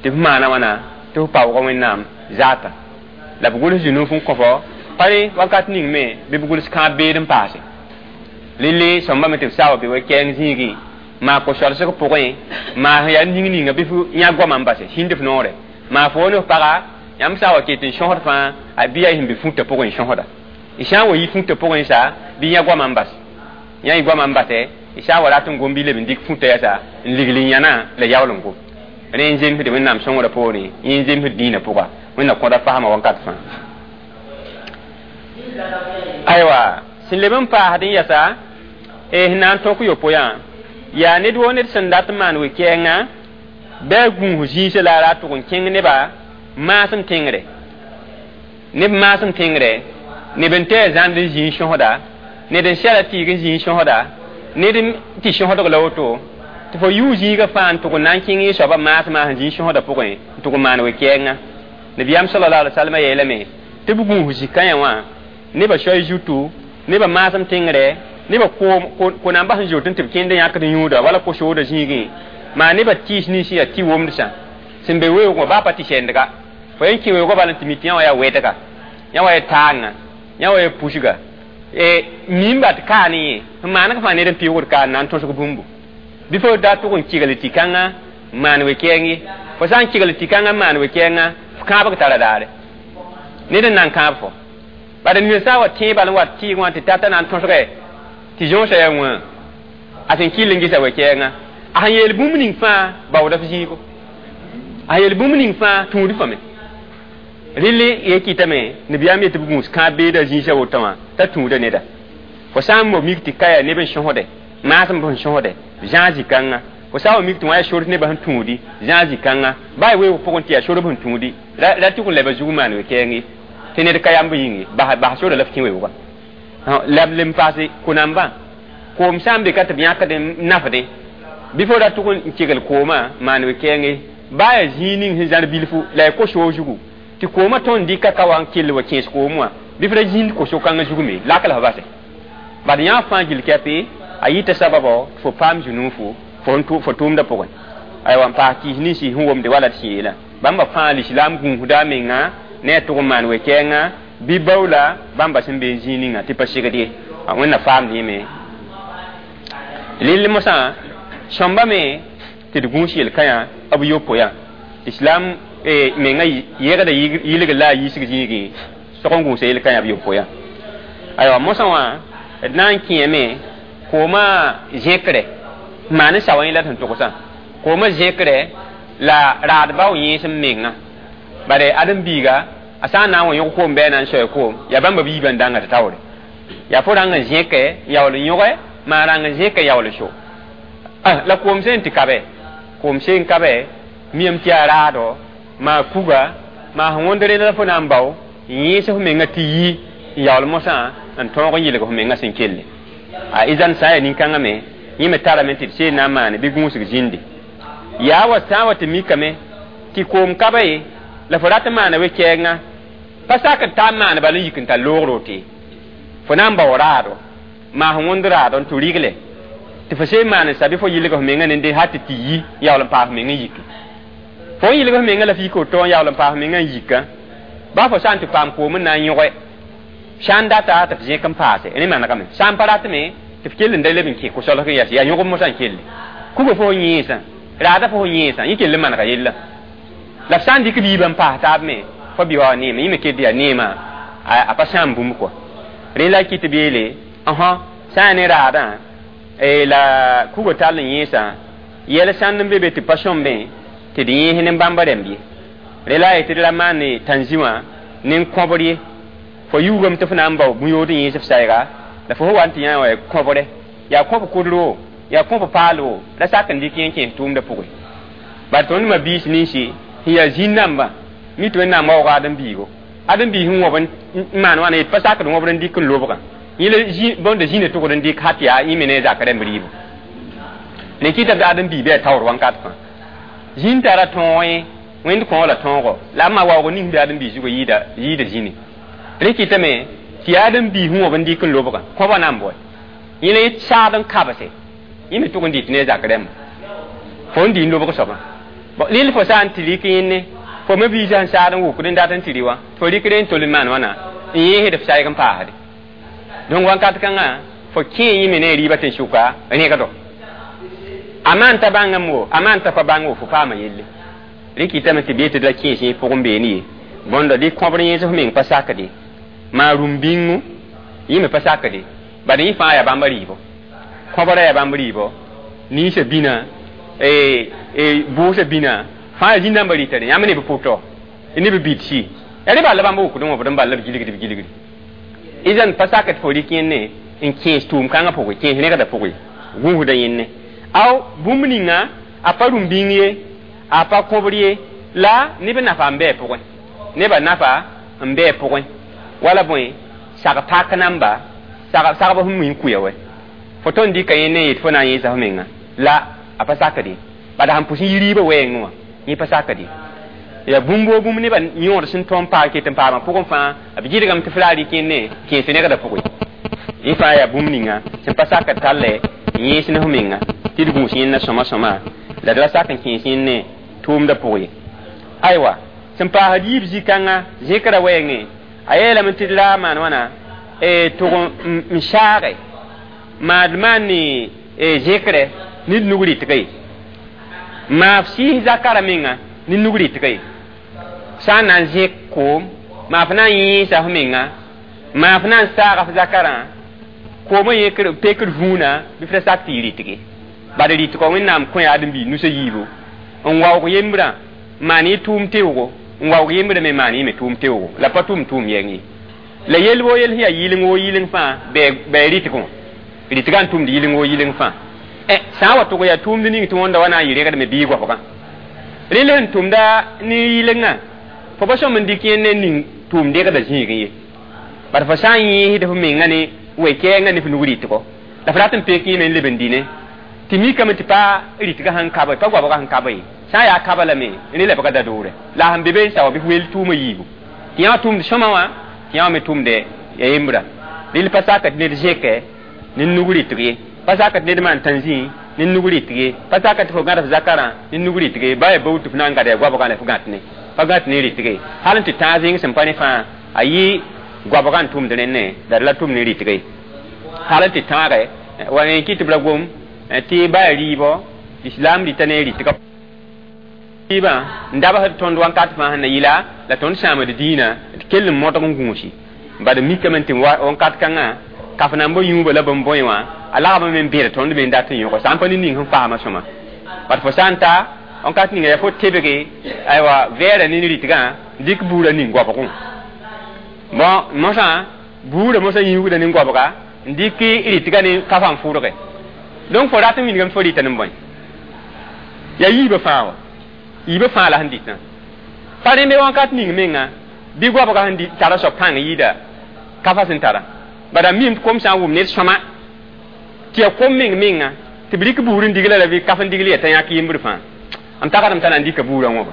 tɩ f maana wãna tɩ f paoogã Wẽnnaam zaata la b gʋls zũnuuf n kõ fo pa rẽ wakat ning me bɩ b gʋls kãab beed n paase rɩle sõmba me tɩ b saa wa be we-kɛɛng zĩigẽ maa ko-solsg pʋgẽ maa sẽn yaa ning ninga bɩ f yã goamã n base sĩnd f noore maa fo ne f paga yãmb sã wa ket n sõsd fãa a bɩ yaa sẽn be fũtã pʋgẽ n sõsda y sã n wa yi fũtã pʋgẽ sa bɩ yã goamã n bas yã y goamã n basɛ y sã n wa rat n gom bɩ leb n dɩk fũtã yɛsa n ligl n yãna la yaool n gom rẽ n zemsd Wẽnnaam sõngrã poorẽ yẽ n zemsd dĩinã pʋga Wẽnna kõda fasma wãnkat fãa. Aywa sẽn leb n paasd n yɛsa sẽn na n tõk yopoe-yã yaa ned woo ned sẽn dat n maan we-kɛɛngã bɩ a gũus zĩisã la a ra tʋg n kẽng nebã maasem tẽngre neb maasem tẽngre neb n tɩ zãnd n zĩig sõsda ned n sɛla tɩɩg n zĩig sõsda ned n tɩ sõsdg la woto tɩ fo yʋ zĩigã fãa n tʋg n na n kẽng y soabã maasmã sẽn zĩig sõsda pʋgẽ n tʋg n maan we-kɛɛngã. Nabiyaam sallallahu alaihi wasallam yeelame tɩ b gũus zĩ-kãyã wã nebã soay zutu nebã maasem tẽngre nebã ko-nambã sẽn zoot n tɩ b kẽnd yãkd yũuda wala ko-soodã zĩigẽ maa nebã tɩɩs nins yaa tɩ womdsã sẽn be weoogã baa pa tɩ sɛndga fo yen kẽ weoogã bala n tɩ mi tɩ yã wã yaa wɛdga yã wã yaa taanga yã wã yaa pusga mimba tɩ kaa ne yẽ sẽn maaneg fãa ned n pɩʋgd kaa n na n tõsg bũmbu bɩ fo da tʋg n kɩgl tɩ kãngã maan we-kɛɛng ye fo sã n kɩgl tɩ kãngã maan we-kɛɛngã f kãabg tara daare ned n na n kãab fo bad ned sã n wa tẽe bal n wa tɩɩg wã tɩ tata na n tõsgɛ tɩ zõosã yaa wã a sẽn kɩll n gɩsa we-kɛɛngã a sẽn yeel bũmb ning fãa baooda f zĩigo a yeel bũmb ning fãa tũud fame rɩle ye kɩtame nabiyaam yetɩ b gũus kãab beeda zĩisã woto wã t'a tũuda neda fo sã n mo mik tɩ ka yaa neb n sõsde maasem sẽn sõsde zãag zĩ-kãngã fo sã n wa mik tɩ wã yaa sor nebã sẽn tũudi zãag zĩ-kãngã baa weoog pʋgẽ tɩ yaa sorb sẽn tũudi ra tʋg n leba zug maan we-kɛɛng ye tɩ ned ka yamb yĩnge bas sora la f kẽ weoogã la b lem paase ko-nambã koom sã n be ka tɩ b yãkd n nafdẽ bɩ fo ra tʋg n kegl koomã maan we-kɛɛng baa yaa zĩig ning sẽn zãr bilfu la ya ko-soog zugu tɩ koomã tõnd dɩka ka wa n kell wa kẽes koom wã bɩ f ra zĩnd ko-so-kãngã zug me lak la f base bad yã fãa gill kɛpe a yɩta sababɔ tɩ fo paam zũnuufo fo tʋʋmdã pʋgẽ aywa n paas kɩɩs ninsi sẽn womde wala d sẽn yeelã bãmba fãa lislaam gũusda a menga ne a tʋg n maan we-kɛɛngã bɩ baoola bãmba sẽn be n zĩig ninga tɩ pa segd ye Wẽnna faamd yẽme rɩl mosã sõmba me tɩ d gũus yel-kãyã b yopoe-yã islam menga yegda yilg la a yiisg zĩigẽ sog n gũusa yel-kãyã b yopoe-yã. Aywa mosã wã d na n kẽeme koomã zẽkre maan n sao yẽ la d sẽn togsã koomã zẽkre la raad bao yẽesem menga bare ãdem-biiga a sã n na n wa yõg koom bɩ a na n soa koom yaa bãmba biibã n dãnga tɩ taoore yaa fo rãng n zẽke yaool n yõge maa rãng n zẽke yaool n so la koom sẽn tɩ kabe koom sẽn kabe miame tɩ yaa raado maa kuga maa sẽn wõnd rẽnd la fo na n bao n yẽes f menga tɩ yi n yaool mosã n tõog n yɩlg f menga sẽn kelle a izan sã n yaa nin-kãngã me yẽ me tarame tɩ d seen na n maane bɩ gũusg zĩndi yaa wa sã n wa tɩ mikame tɩ koom kaba ye la fo rat n maana we-kɛɛngã pa sak n taa n maan bala n yik n tar loogr woto fo na n bao raado maa sẽn wõnd raado n tʋ rigle tɩ fo seen maan n sa bɩ fo yɩlg f menga nende hal tɩ tɩ yi yaool n paas f meng n yiki fo n yɩlg f menga la f yik woto n yaool n paas f menga n yika ba fo sã n tɩ paam koom n na n yõge sã n data tɩ f zẽk n paase rẽ manegame sã n pa ratme tɩ f kell n da leb n kẽ ko-solg n yas yaa yõgb mosã n kelle kuga fo yẽesã raada fo yẽesã yẽ kell n manega yella la f sã n dɩk biibã n paas taab me fo bɩ wa neema yẽ me kell yaa neema a pa sãam bũmb kɔa rẽ la kɩ tɩ b yeele ãsã sã n yaa ne raadã la kuga tall n yẽesã yɛl sãnd n be be tɩ pa sõmbẽ tɩ d yẽes ne bãmba rãmb ye rẽ la a yetɩ d ra maan tãnzĩ wã ne kõbr ye fo yuugame tɩ f na n bao bũ-yood n yẽes f sayga la fo wa n tɩ yã wa kõbre yaa kõb kʋdro yaa kõb paalo la sak n dɩk yẽ kẽes tʋʋmdã pʋgẽ bala tõnd ma biis ninsi sẽn yaa zĩn-dãmbã mi tɩ wẽnnaam waooga ãdem-biigo ãdem-biis sẽn wõb n maan wãna yet pa sakd wõbd n dɩk n lobgã yẽ la bõnda zĩnã tʋgd n dɩk hat yaa yẽ me ne a zak rãmb rɩɩbo ne kɩta tɩ ãdem-biig bɩ a taoor wãnkat fãa zĩn tara tõog yẽ wẽnd kõo la tõogo la a ma waoog ning bɩ ãdem-biig zugã yɩɩda yɩɩda zĩni rẽ kɩtame tɩ yaa ãdem-biis sẽn wõb n dɩk n lobgã kõba na n bɔe yẽ la saad n kabse yẽ me tʋg n dɩt ne a zak rãmba fo n dɩ n lobg soabã rɩl fo sã n tɩ rɩk yẽnne fo me biisã n saad n wʋkd n dat n tɩ rɩ wã fo rɩkd n tol n maan wãna n yẽesd f sayg n paasde donc wãnkat kãngã fo kẽ yẽ me ne a rɩɩbã tɩ n sʋka rẽgdo a maan t'a bãngame wo a maan t'a pa bãng wo fo paama yelle rẽ kɩtame tɩ bee tɩ d ra kẽes yẽ pʋgẽ beene ye bõndo dɩ kõbr yẽes f meng pa sakde maa rũm-bĩngu yẽ me pa sakde bad yẽ fãa yaa bãmba rɩɩbo kõbra yaa bãmb rɩɩbo ninsã bĩna bʋʋsã bĩna fãa yaa zĩn-dãmbã rɩta yãmb ne b pʋtɔ ne b bidsi yaa rẽ bal la bãmb wʋkd n wõbd n bal la b gilgd b gilgdi izan pa sak tɩ fo rɩk yẽnne n kẽes tʋʋm-kãngã pʋgẽ kẽes rẽgdã pʋgẽ gũusda yẽnne aw bũmb ninga a pa rũm-bĩng ye a pa kõbr ye la neb nafa n bɩ pʋgẽ nebã nafa n bɩ pʋgẽ wala bõe sag pak namba sagb sẽn wĩn kuya wɛ fo tõnd dɩka yẽ ne yet fo na n yẽesa f menga la a pa sakd ye bala sẽn pʋs n yi rɩɩbã wɛɛngẽ wã yẽ pa sakd ye yaa bũmb woo bũmb nebã yõod sẽn tõm paag ket n paamã pʋgẽ fãa b gɩdgame tɩ f ra rɩk yẽnne kẽes rẽgdã pʋgẽ yẽ fãa yaa bũmb ninga sẽn pa sakd tallɛ n yẽes ne f menga tɩ d gũus yẽnna sõma sõma la d ra sak n kẽes yẽnne tʋʋmdã pʋgẽ ye aywa sẽn paasd yiib zĩ-kãngã zẽkra wɛɛngẽ a yeelame tɩ d ra maan wãna tʋg n saage maad maan ne zẽkre ne d nug rɩtga ye maa f sɩɩs zakara menga ne nug rɩtga ye sã n na n zẽk koom maa f na n yẽesa f menga maa f na n saaga f zakarã koomã yẽkr pekr vũuna bɩ f ra sak tɩ y rɩtge bad rɩtgɔ wẽnnaam kõ yaa ãdem-biig nusã yiibu n waoog yembrã maan yẽ tʋʋm teoogo n waoog yembrã me maan yẽ me tʋʋm teoogo la pa tʋʋm tʋʋm yɛng ye la yel woo yel sẽn yaa yɩleng woo yɩleng fãa bɩ rɩtgẽ rɩtgã n tʋmd yɩleng woo yɩleng fãa sã n wa tʋg yaa tʋʋmd ning tɩ wõnda wa na n yɩ regdme bɩ goabgã rẽ sẽn tʋmda ne yɩlengã fo pa sõm n dɩk yẽnd n ning tʋʋm degda zĩigẽ ye bad fo sã n yẽesd f menga ne we-kɛɛngã ne f nug rɩtgɔ la f rat n pek yẽme n leb n dĩne tɩ mikame tɩ pa rɩtgã sẽn kaba pa goabgã sẽn kaba ye sã n yaa kaba lame rẽ lebga da doore la sẽn be be n sao bɩ f wel tʋʋmã yiibu tɩ yã tʋʋmd sõma wã tɩ yã me tʋmde ya yembra rɩl pa sak tɩ ned zẽkɛ ne nug rɩtg ye pa sak tɩ ned maan tãnzĩ ne nug rɩtg ye pa sak tɩ fo gãd f zakarã ne nug rɩtg ye ba ya bao tɩ f na n gada ya goabgã la f gãt ne pa gãt ne rɩtg ye hal n tɩ tãag zẽng sẽn pa ne fãa a yɩ goabgã n tʋmd rẽnne la d la tʋm ne rɩtg ye hal n tɩ tãage wa n kɩ tɩ b ra gom tɩ ba ya rɩɩbɔ islam rɩta ne rɩtgã rɩɩbã n dabsd tõnd wãnkat fãa sẽn na yɩla la tõnd sãamd dĩinã d kell n modg n gũusi Bad mikame tɩ wãnkat kãngã kaf nan b yũuba la bõmb bõe wã a lagame me n bẽd tõnd me n dat n yõg sã n pa ne ning sẽn faama sõma bad fo sã n ta wãnkat ninga yaa fo tebge aywa vɛɛra ne rɩtgã dɩk buurã ning goabgẽ bon mosã buurã mosã yĩugda ne goabga n dɩk rɩtgã ne kafã n fʋrge donc fo rat n wilgame fo rɩta ne bõe yaa yiibã fãa wa yiibã fãa la sẽn dɩtã pa rẽmbe wãnkat ning menga bɩ goabga sẽn tara soab pãng yɩɩda kafa sẽn tara bada mim kom sã n wʋm ned sõma tɩ yaa kom meng menga tɩ b rɩk buur n digla la bɩ kaf n digl yaa t'a yãk yembr fãa m tagsdame t'a na n dɩka buurã wãba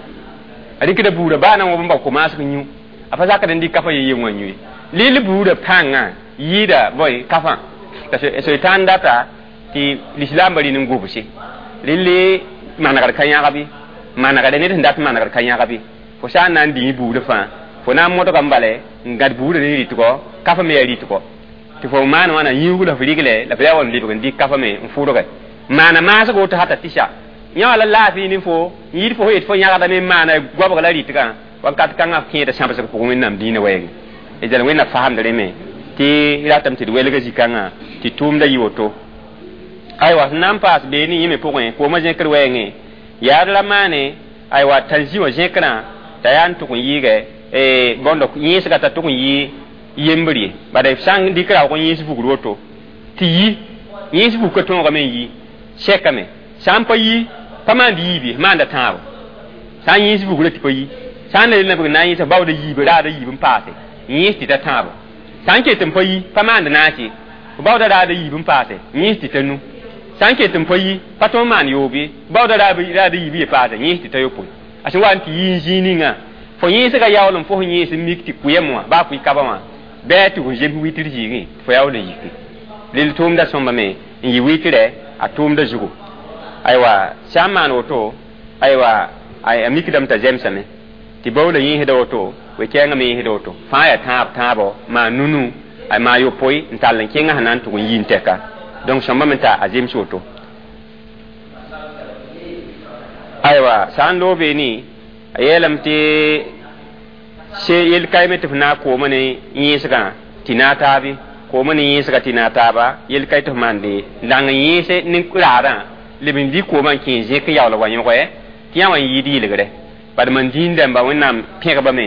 a rɩkda buurã baa na n wõb n bao ko-maasg yũ a pa zakd n dɩk kafa ye wã yũ ye leel buurã pãngã yɩɩda bõe kafã t'a soitan data tɩ lislaambã rɩ n gobse relle manegr ka yãgb manegre ned sẽn dat manegr ka yãgb fo sã n na n dĩi buurã fãa fo na n modga n bale n gãd buurã ne rɩtgɔ kafa me yaa rɩtgɔ tɩ fo maan wãna yĩug la f rigle la f yaa wa n lebg n dɩk kafa me n fʋrge maana maasg woto hata tɩsa yã la laafɩ ne fo n yɩɩd fo yet fo yãgdame n maana goabg la rɩtgã wakat kãngã kẽeda sãbsg pʋgẽ wẽnnaam dĩinã wɛɛngẽ d zal wẽnna faamd rẽ tɩ ratame tɩ d welga zĩ-kãngã tɩ tʋʋmda yɩ woto aywa sẽn na n paas beene yẽ me pʋgẽ koomã zẽkr wɛɛngẽ yaad la maane aywa tãnzĩ wã zẽkrã t'a yaa n tʋg n yɩɩgɛ bõndo yẽesga t'a tʋg n yɩ yembr ye bala f sã n dɩk raoog n yẽes vugr woto tɩ yi yẽes vugka tõogame n yi sɛkame sã n pa yi pa maand yiib ye maanda tãabo sã n yẽes vugrã tɩ pa yi sã n la yel na n yẽesa baooda yiib raada yiib n paase yẽes tɩ ta tãabo sã n ket n pa yi pa maand naas ye baooda raada yiib n paase yẽes tɩ ta nu sã n ket n pa yi pa tõnd maan yoob ye baooda raada yiib ye paase yẽes tɩ ta yopoe a sẽn wa n tɩ yi n zĩig ninga fo yẽesga yaool n fo sẽn yẽes n mik tɩ kʋyem wã baa kʋɩ kaba wã bɩ tɩ fo zems witr zĩigẽ tɩ fo yaool n yiki rel tʋʋmda sõmba me n yɩ witrɛ a tʋʋmda zugu aywa sã n maan woto aywa a mikdame t'a zemsame tɩ baoola yẽesda woto we-kɛɛngã me yẽesda woto fãa yaa tãab tãabo maa nunu a maa yopoe n tall n kẽngã sẽn na n tʋg n yi n tɛka donc sõmba me t'a a zems woto aywa sã n loog beene a yeelame tɩ yel kaime tɩ f na n kooma ne yẽesgã tɩ na taabe kooma ne yẽesga tɩ na taaba yel kae tɩ f maande n yẽese ne raadã leb n dɩ koomã n kẽ zẽk n yaool wa yõge tɩ yã wã n yɩɩd yɩlgre bad man zĩig dãmba wẽnnaam pẽgbame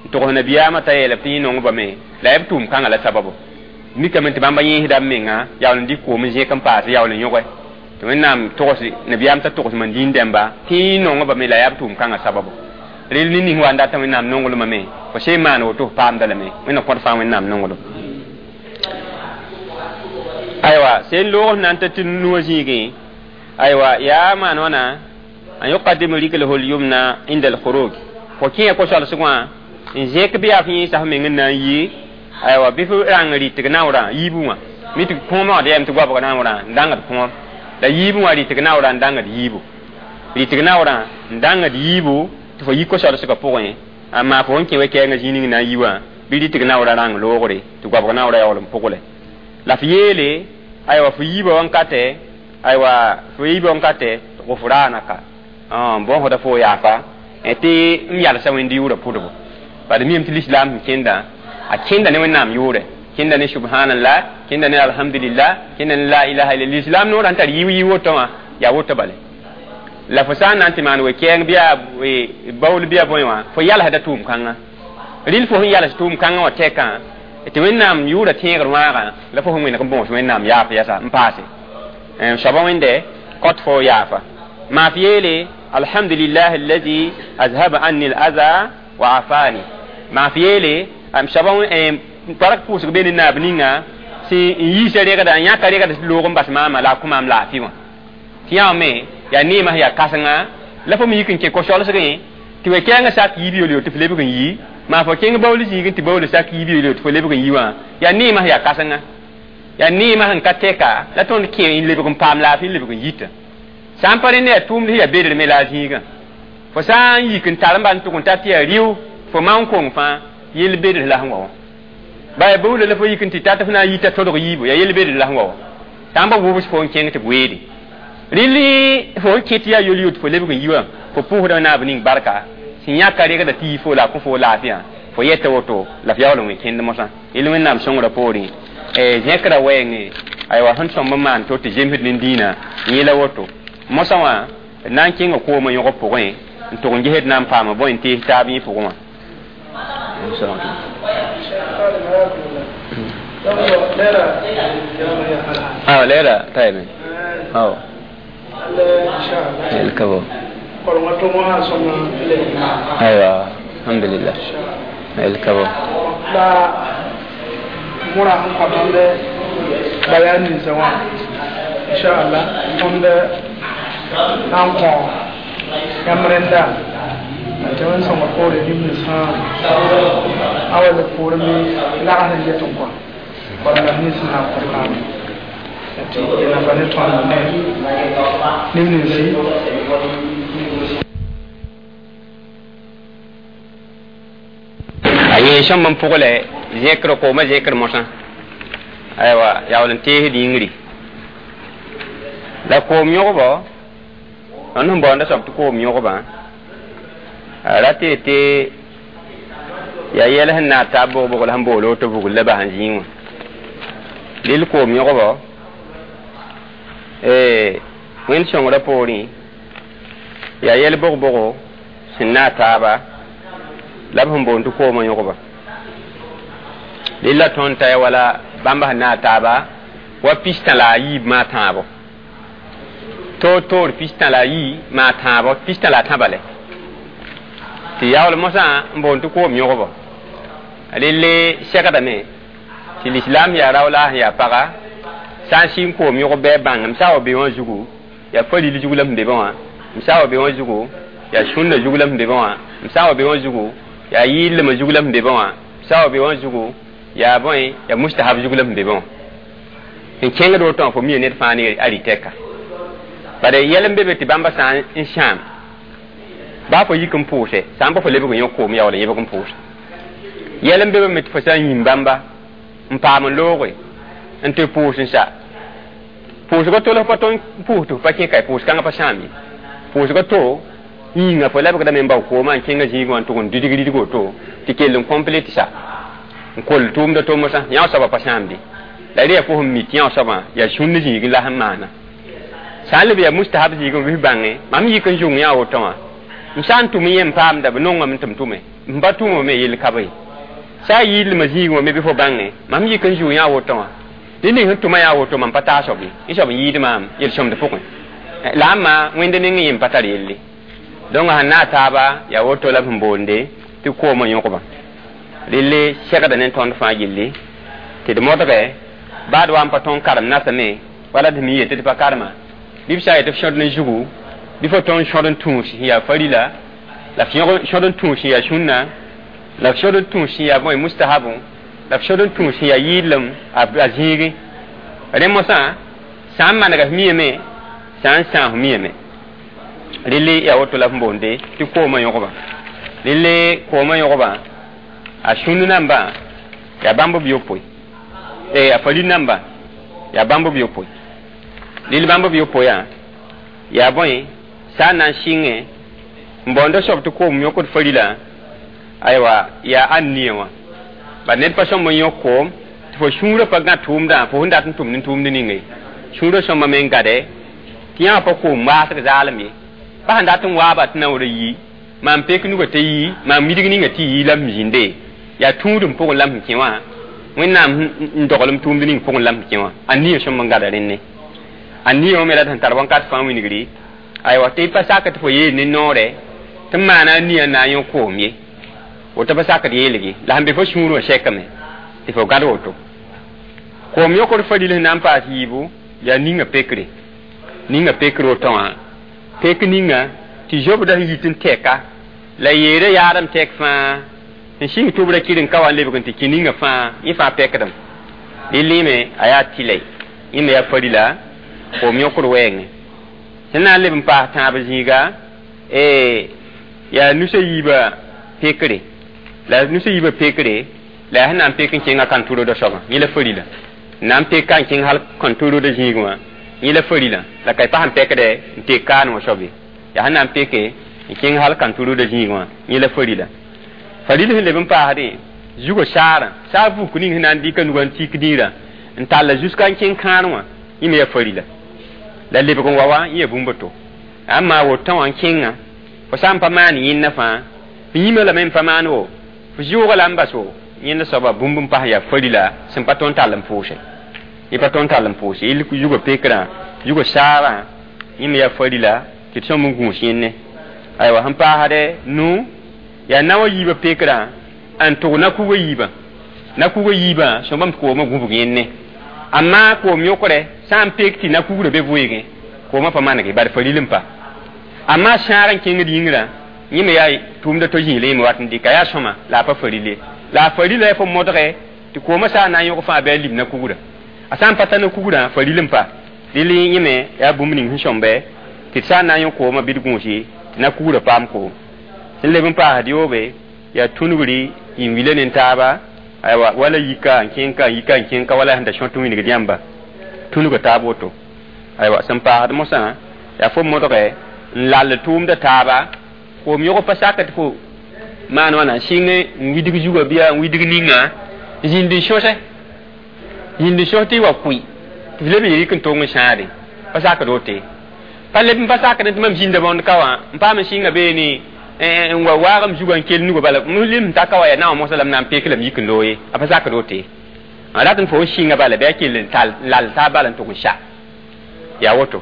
n togs nabiyaamã t'a yeelame tɩ yẽ nongbame la b tʋʋm kãngã la sababu mikame tɩ bãmba yẽesda b menga yaool n dɩk koom n zẽk n paas yaool n yõge tɩ wẽnnaam togs nabiyaam t'a togs man zĩig dãmba tɩ yẽ nongbame la yaa b tʋʋm kãngã sababu rel ne ning wa n data wẽnnaam nonglmã me fo sẽn maan woto f paamda lame wẽnnaam kõt fãa wẽnnaam nonglem aywa sẽn loog na n ta tɩ nuwã zĩigẽ aywa yaa maan wãna an yuqaddimu rijlahu al-yumna inda al-khuruj fo kẽe ko-soalsg wã n zẽk bɩ yaa f yẽesa f meng n na n yi aywa bɩ f rãng rɩtg naoorã yiibẽ wã mi tɩ kõomã wã d yɛm tɩ goabg naoorã n dãngd kõom la yiibẽ wã rɩtg naoorã n dãngd yiibu rɩtg naoorã n dãngd yiibu tɩ fo yi ko-soalsgã pʋgẽ a maa fo sẽn kẽ we-kɛɛngã zĩig ning na n yi wã bɩ rɩtg naoorã rãng loogre tɩ goabg naoorã yaool n pʋgle la f yeele aywa fo yiibã wãnkatɛ aywa fo yiibã wãnkatɛ gufranaka bõsda fo yaafa tɩ n yalsa wẽnd yʋʋrã pʋdbo bad miyame tɩ lislaam sẽn kẽnda a kẽnda ne wẽnnaam yʋʋrɛ kẽnda ne subhanallah kẽnda ne alhamdulillah kẽnda ne la ilaha illa lislaam noorã n tar yiib yiib woto wã yaa woto bale la fo sã n na n tɩ maan we-kɛɛng bɩ yaa baool bɩ yaa bõe wã fo yalsda tʋʋm kãngã rɩl fo sẽn yals tʋʋm kãngã wã tɛkã tɩ wẽnnaam yʋʋrã tẽegr wãagã la fo sẽn wẽneg n bõos wẽnnaam yaaf yasa n paase soaba wẽnde kõt fo yaafa maa f yeele alhamdulillah allazi azhaba anni al-adha wa afani maa f yeele am soaba bark pʋʋsg be ne naab ninga sẽn n yiisa regda n yãka regd loog n bas maama la a kõ maam laafɩ wã tɩ yã me yaa neemã yaa kãsenga la fo me yik n kẽ ko-soalsgẽ tɩ we-kɛɛngã sak yiib yol tɩ f lebg n yi maa fo kẽng baool zĩigẽ tɩ baool sak yiib yol tɩ fo lebg n yi wã yaa neemã yaa kãsenga yaa neemã sẽn ka tɛka la tõnd kẽ n lebg n paam laafɩ n lebg n yita sã n pa rẽnd yaa tʋʋmd sẽn yaa bedr me la a zĩigã fo sã n yik n tar n ban tʋg n ta tɩ yaa rɩʋ fo maon kong fãa yel bedr la sẽn wa wã baya baoola la fo yik n tɩ tat f na n yita todg yiibu yaa yel bedr la sẽn wa wã sã n ba wʋbs fo n kẽng tɩ b weede rɩl fo n kẽ tɩ yaa yol yot fo lebg n yi wã fo pʋʋsda naab ning barka sẽn yãka regda tɩ yi fo la a kõ fo laafɩyã fo yeta woto la f yaool n wẽ kẽnd mosã yel wẽnnaam sõngrã poorẽ zẽkra wɛɛngẽ aywa sẽn sõmb n maan to tɩ zemsd ne dĩinã yẽla woto mosã wã d na n kẽnga koomã yõgb pʋgẽ n tʋg n gesd na n paama bõe n tees taab yẽ pʋgẽ wã awa leera tayme aw el kabo aywa alhamdulillah el kabo la mura n kɔtɔnde bayan ninsa wã inshallah tõnd na n kõ yãmb rẽnda tɩ wẽn sõngr poore nim-ninsã a wa le poor me lags n get n kõ korenga nins na n kõ naame tɩ nafa ne tõnd ne nim-ninsi a yẽ sõmb n pʋgle zẽkr koomã zẽkr mosã aywa yaool n teesd yĩngri la koom yõgbɔ tõnd sẽn baoonda soab tɩ koom yõgbã a ra tɩ tɩ yaa yɛl sẽn naag taab bʋg-bʋg la sẽn bool woto bugl la bas n zĩig wã lel koom yõgbɔ wẽnd sõngrã poorẽ yaa yɛl bʋg-bʋgo sẽn naag taaba la b sẽn boond tɩ koomã yõgba lella tõnd t'a wala bãmb sẽn naag taaba wa pistã la a yiib maa tãabo toor toor pistã la a yii maa tãabo pistã la a tãba lɛ tɩ yaool mosã n boond tɩ koom yõgbɔ relle segdame tɩ lislaam yaa rao la sẽn yaa paga sã n sɩng koom yõgb bɩ a bãng m sã wa be wã zugu yaa faril zug la sẽn be wã m sã wa be wã zugu yaa sũnna zug la sẽn be wã m sã wa be wã zugu yaa yɩɩlmã zug la sẽn be wã m sã wa be wã zugu yaa bõe yaa mustahab zug la sẽn be wã n kẽngd woto wã fo mia ned fãa ne a rɩtɛka bala yɛl n be be tɩ bãmba sã n sãam baa fo yik n pʋʋse sã n pa fo lebg n yõ koom yaool n yebg n pʋʋse yɛl n be be me tɩ fo sã n yĩm bãmba n paam n looge n tɩ pʋʋs n sa pʋʋsgã tolg pa tõe n pʋʋs tɩ f pa kẽ ka pʋʋs kãngã pa sãam ye pʋʋsgã to yĩnga fo lebgdame n bao koomã n kẽngã zĩigã wã n tʋg n didg ridg woto tɩ kell n complet sa n kol tʋʋmda to mosã yã soabã pa sãamde la rẽ yaa fo sẽn mi tɩ yã soabã yaa sũnd zĩigẽ la sẽn maana sã n leb yaa mustahab zĩig n wis bãnge mam yik n zũng yã woto wã m sã n tʋm yẽ n paamda b nongame tɩ m tʋme m pa tʋmame yell ka be sã a yɩɩlmã zĩigẽ wã me bɩ fo bãnge mam yik n zʋ yã woto wã dẽ ning sẽn tʋma yaa woto mam pa taa soab ye yẽ soab n yɩɩd maam yel-sõmd pʋgẽ la a ma wẽnd neng yẽ n pa tar yelle donc sẽn naag taaba yaa woto la b sẽn boonde tɩ koomã yõgbã relle segda ne tõnd fãa gilli tɩ d modgɛ baad wa n pa tõnd karem nasame wala d mi yetɩ tɩ pa karema bɩ b sã n yetɩ f sõd ne zugu bɩ fo tõnd sõd n tũus sẽn yaa farila la f sõd n tũus sẽn yaa sũnna la f sõd n tũus sẽn yaa bõe mustahabu la f sõd n tũus sẽn yaa yɩɩlem a zĩigẽ rẽ mosã sã n manega f miyame sã n sãas miyame relle yaa woto la f boonde tɩ koomã yõgba relle koomã yõgba a sũnd nambã yaa bãmb b yopoe a faril nambã yaa bãmb b yopoe rel bãmb b yopoe yaa bõe sã n na n sɩngẽ n baoonda soab tɩ koom yõkd farila aywa yaa ãn nia wã ba ned pa sõmb n yõk koom tɩ fo sũurã pa gã tʋʋmdã fo sẽn dat n tʋmd n tʋʋmd ninge sũurã sõmba me n gade tɩ yã pa koom waasg zaalem ye pa sẽn dat n waaba tɩ naoor yi maam pek nugã t'a yi maam midg ninga tɩ yi la m zĩnde yaa tũudem pʋgẽ la m sẽn kẽ wã wẽnnaam n doglem tʋʋmd ning pʋgẽ la m sẽn kẽ wã a nia sõmb n gada rẽnne a nia wã me la sẽn tar wãnkat fãa wingri aywa tɩ pa sak tɩ fo yeel ne noorɛ tɩ n maana a nia n na n yõ koom ye woto pa sakd yeelge la sẽn be fo sũur wã sɛkame tɩ fo gad woto koom yõkd faril sẽn na n paas yiibu yaa ninga pekre ninga pekr woto wã pek ninga tɩ zobda sẽn yit n tɛka la yeera yaadem tɛk fãa n sɩng tʋbrã kɩr n ka wa n lebg n tɩ kẽ ninga fãa yẽ fãa pɛkdem rɩ a yaa tɩlɛ yẽ me yaa farila koom yõkd wɛɛngẽ sẽn na n leb n paas tãab zĩiga yaa nusa yiibã pekre la nusa yiibã pekre la yaa sẽn na n pek n kẽngã kãn-tʋrda soabã yẽ la farila n na n pek ka n kẽng hal kãn-tʋrda zĩig wã yẽ la farila la ka y pa sẽn pɛkdɛ n tek kaan wã soab ye yaa sẽn na n peke n kẽng hal kãn-tʋrda zĩig wã yẽ la farila Faril sẽn leb n paasdẽ zugã saarã saar vuk ning sẽn na n dɩka nugã n tik dĩirã n talla jusqu'à n kẽng kãan wã yẽ me yaa farila la lebg n wa wã yẽ yaa bũmb to amma woto wã n kẽnga fo sã n pa maan yẽnna fãa fo yĩmã lame n pa maan wo fo zʋʋga la n bas wo yẽnda soaba bũmb n pas yaa farila sẽn pa tõnd tall n pʋʋse yẽ pa tõnd tall n pʋʋse yɩl zugã pekrã zugã saarã yẽ me yaa farila tɩ d sõm n gũus yẽnne aywa sẽn paasdɛ nu yaa naoã yiibã pekrã n tʋg na-kugã yiibã na-kugã yiibã sõmbame tɩ koomã gũbg yẽnne amma koom yõkre sã n pek tɩ na-kugrã be vʋʋgẽ koomã pa manege bad faril n pa amma sãag n kẽngd yĩngrã yẽ me yaa tʋʋmda to zĩig la yẽ me wat n dɩka yaa sõma la a pa faril ye la a farila yaa fo modge tɩ koomã sã n na n yõg fãa bɩ a lib na-kugrã a sã n pa ta na-kugrã faril n pa dɩl yẽ me yaa bũmb ning sẽn sõmbe tɩ d sã n na n yõ koomã bɩ d gũusi tɩ na-kugrã paam koom sẽn leb n paasd yoobe yaa tũnugri n wila ne taaba aywa wala yika n kẽng ka n yika n kẽng ka wala sẽn da sõt wingd yãmba tũnuga taab woto aywa sẽn paasd mosã yaa fo modge n lall tʋʋmda taaba koom yõg pa sak tɩ fo maan wãna sɩng n widg zugã bɩa n widg ninga zĩnd n sõse zĩnd n sõs tɩ y wa kʋɩ tɩ f leb n rɩk n tong n sãade pa sakd wote pa leb n pa sakd tɩ mam zĩnda bõnd ka wã n paam n sɩnga beene n wa waag m zugã n kell nugã bala m lem n ta ka wa yaa naowã mosã la m na n pek la m yik n loog ye a pa sakd wote n rat n fo n sɩnga bala bɩ a kell n tal lall taab bala n tʋg n sa yaa woto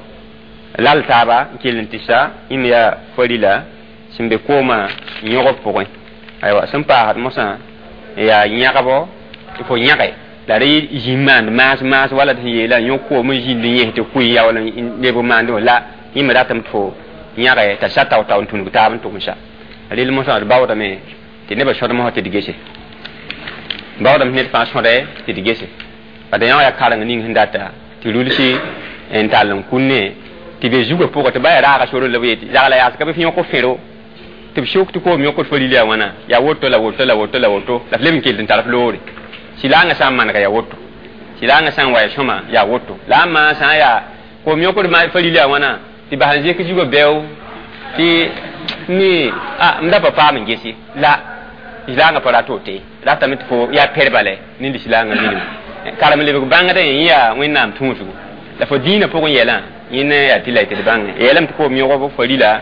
lall taaba n kell n tɩ sa yẽ me yaa farila sẽn be koomã yõgb pʋgẽ aywa sẽn paasd mosã yaa yãgbo tɩ fo yãge la rẽ zĩ maand maas maas wala tɩ sẽn yeela yõ koom n zĩnd n yẽs tɩ kʋɩ ya wala n leb n maand la yẽ me ratame tɩ fo yãge t'a sa tao-tao n tũnug taab n tʋg n sa rel mosã d baoodame tɩ nebã sõd mosã tɩ d gese baoodame ned fãa sõde tɩ d gese bad yã yaa kareng ning sẽn data tɩ rulsi n tall n kunne tɩ be zugã pʋgã tɩ ba yaa raaga sor la b yetɩ zagla yaas ka bɩ f yõk fẽro tɩ b sok tɩ koom yõkd faril yaa wãna yaa woto la woto la woto la woto la f leb n kell n tar f loore sɩlaangã sã n manega yaa woto sɩlaangã sã n wa ya sõma yaa woto la a maa sã n yaa koom yõkd faril yaa wãna tɩ bas n zek zugã bɛo tɩ mi a m da pa paam n gese la lislaangã pa rat wote ratame tɩ fo yaa pɛr bale ne lislaangã minim karem lebg bãngdã yẽ yaa wẽnnaam tũusgo la fo dĩinã pʋgẽ yɛlã yẽne yaa tɩ la y tɩ d bãnge yeelame tɩ koom yõgb farila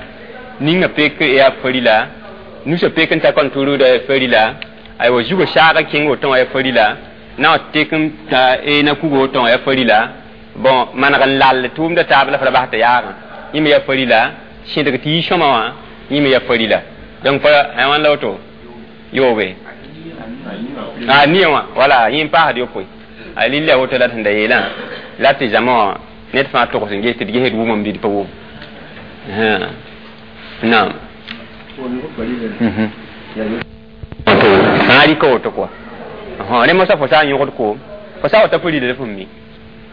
ninga pek yaa farila nusã pek n ta kõn tʋrʋʋda farila aywa zugã saagã kẽng woto wã yaa farila na wa tek n ta na kuga woto wã yaa farila bon maneg n lall tʋʋmda taab la f ra bas tɩ yaagã yẽ me yaa farila sẽdg tɩ yi sõma wã yẽ me yaa farila donc pa wãn la woto yoobe a nia wã wala yẽ n paasd yopoe a lilla ya woto la sẽn da yeelã la tɩ zãma wã ned fãa togs n ges tɩ d gesd wʋmam bɩ d pa wʋm naam sã rɩka woto kɔa rẽ mosã fo sã n yõgd koom fo sã wa ta farila la fo mi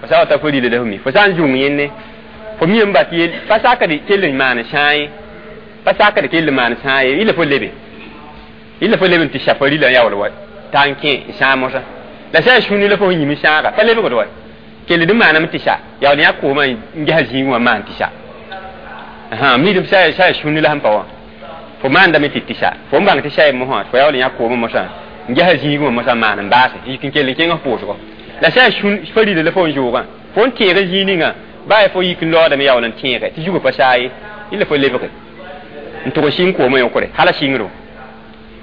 fo sã wa ta farila la fo mi fo sã n zũng yẽnne fo mi n bat yel pa sakd kell n maan sã ye pa sakd kell n maan sã ye yɩla fo lebe yɩla fo leb n tɩ sa farila n yaool wa t'a n kẽ n sãag mosã la sã n sũni la fo sẽn yĩm sãaga pa lebgd wa kell d maaname tɩ sa yaool yã koomã n ges zĩig wã maan tɩ sa miidm sã sã sũni la sẽn pa wã fo maandame tɩ tɩ sa fo n bãng tɩ sa mosã fo yaool yã koomã mosã n ges zĩig wã mosã maan n baase n yik n kell n kẽng f pʋʋsgɔ la sã n farila la fo n zʋʋgã fo n tẽeg zĩig ninga baa ya fo yik n laoodame yaool n tẽege tɩ zugã pa saa ye yɩla fo lebge n tʋg sɩng koomã yõkre hala sɩngro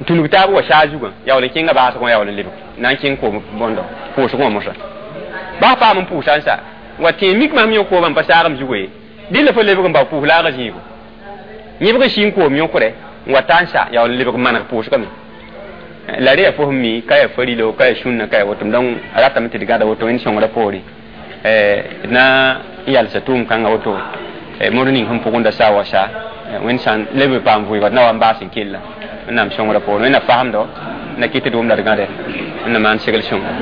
n tũnug taab wa saa zugã yaool n kẽnga baasgõ yaool n lebg na n kẽng koom bõndo pʋʋsgõ wã mosã baa paam n pʋʋsa n sa wa tẽeg mik mam yõ koomã n pa saagem zugã ye dɩ la fo lebg n bao pʋʋs laagã zĩigo yẽbg sɩng koom yõkre n wa ta n sa yaool n lebg maneg pʋʋsgame la rẽ yaa fo sẽn mi ka yaa farilo ka yaa sũnna ka yaa woto donc a ratame tɩ d gãda woto wẽnd sõngrã poore d na n yalsa tʋʋm kãngã woto mod ning sẽn pʋgẽ da sa wa sa wẽnd sã n leb n paam vʋɩɩga d na wa n baas n kella wẽnnaam sõngrã poore wẽnnaam fasemdo na kɩt tɩ d wʋm la d gãde wẽnnaam maan segl sõnga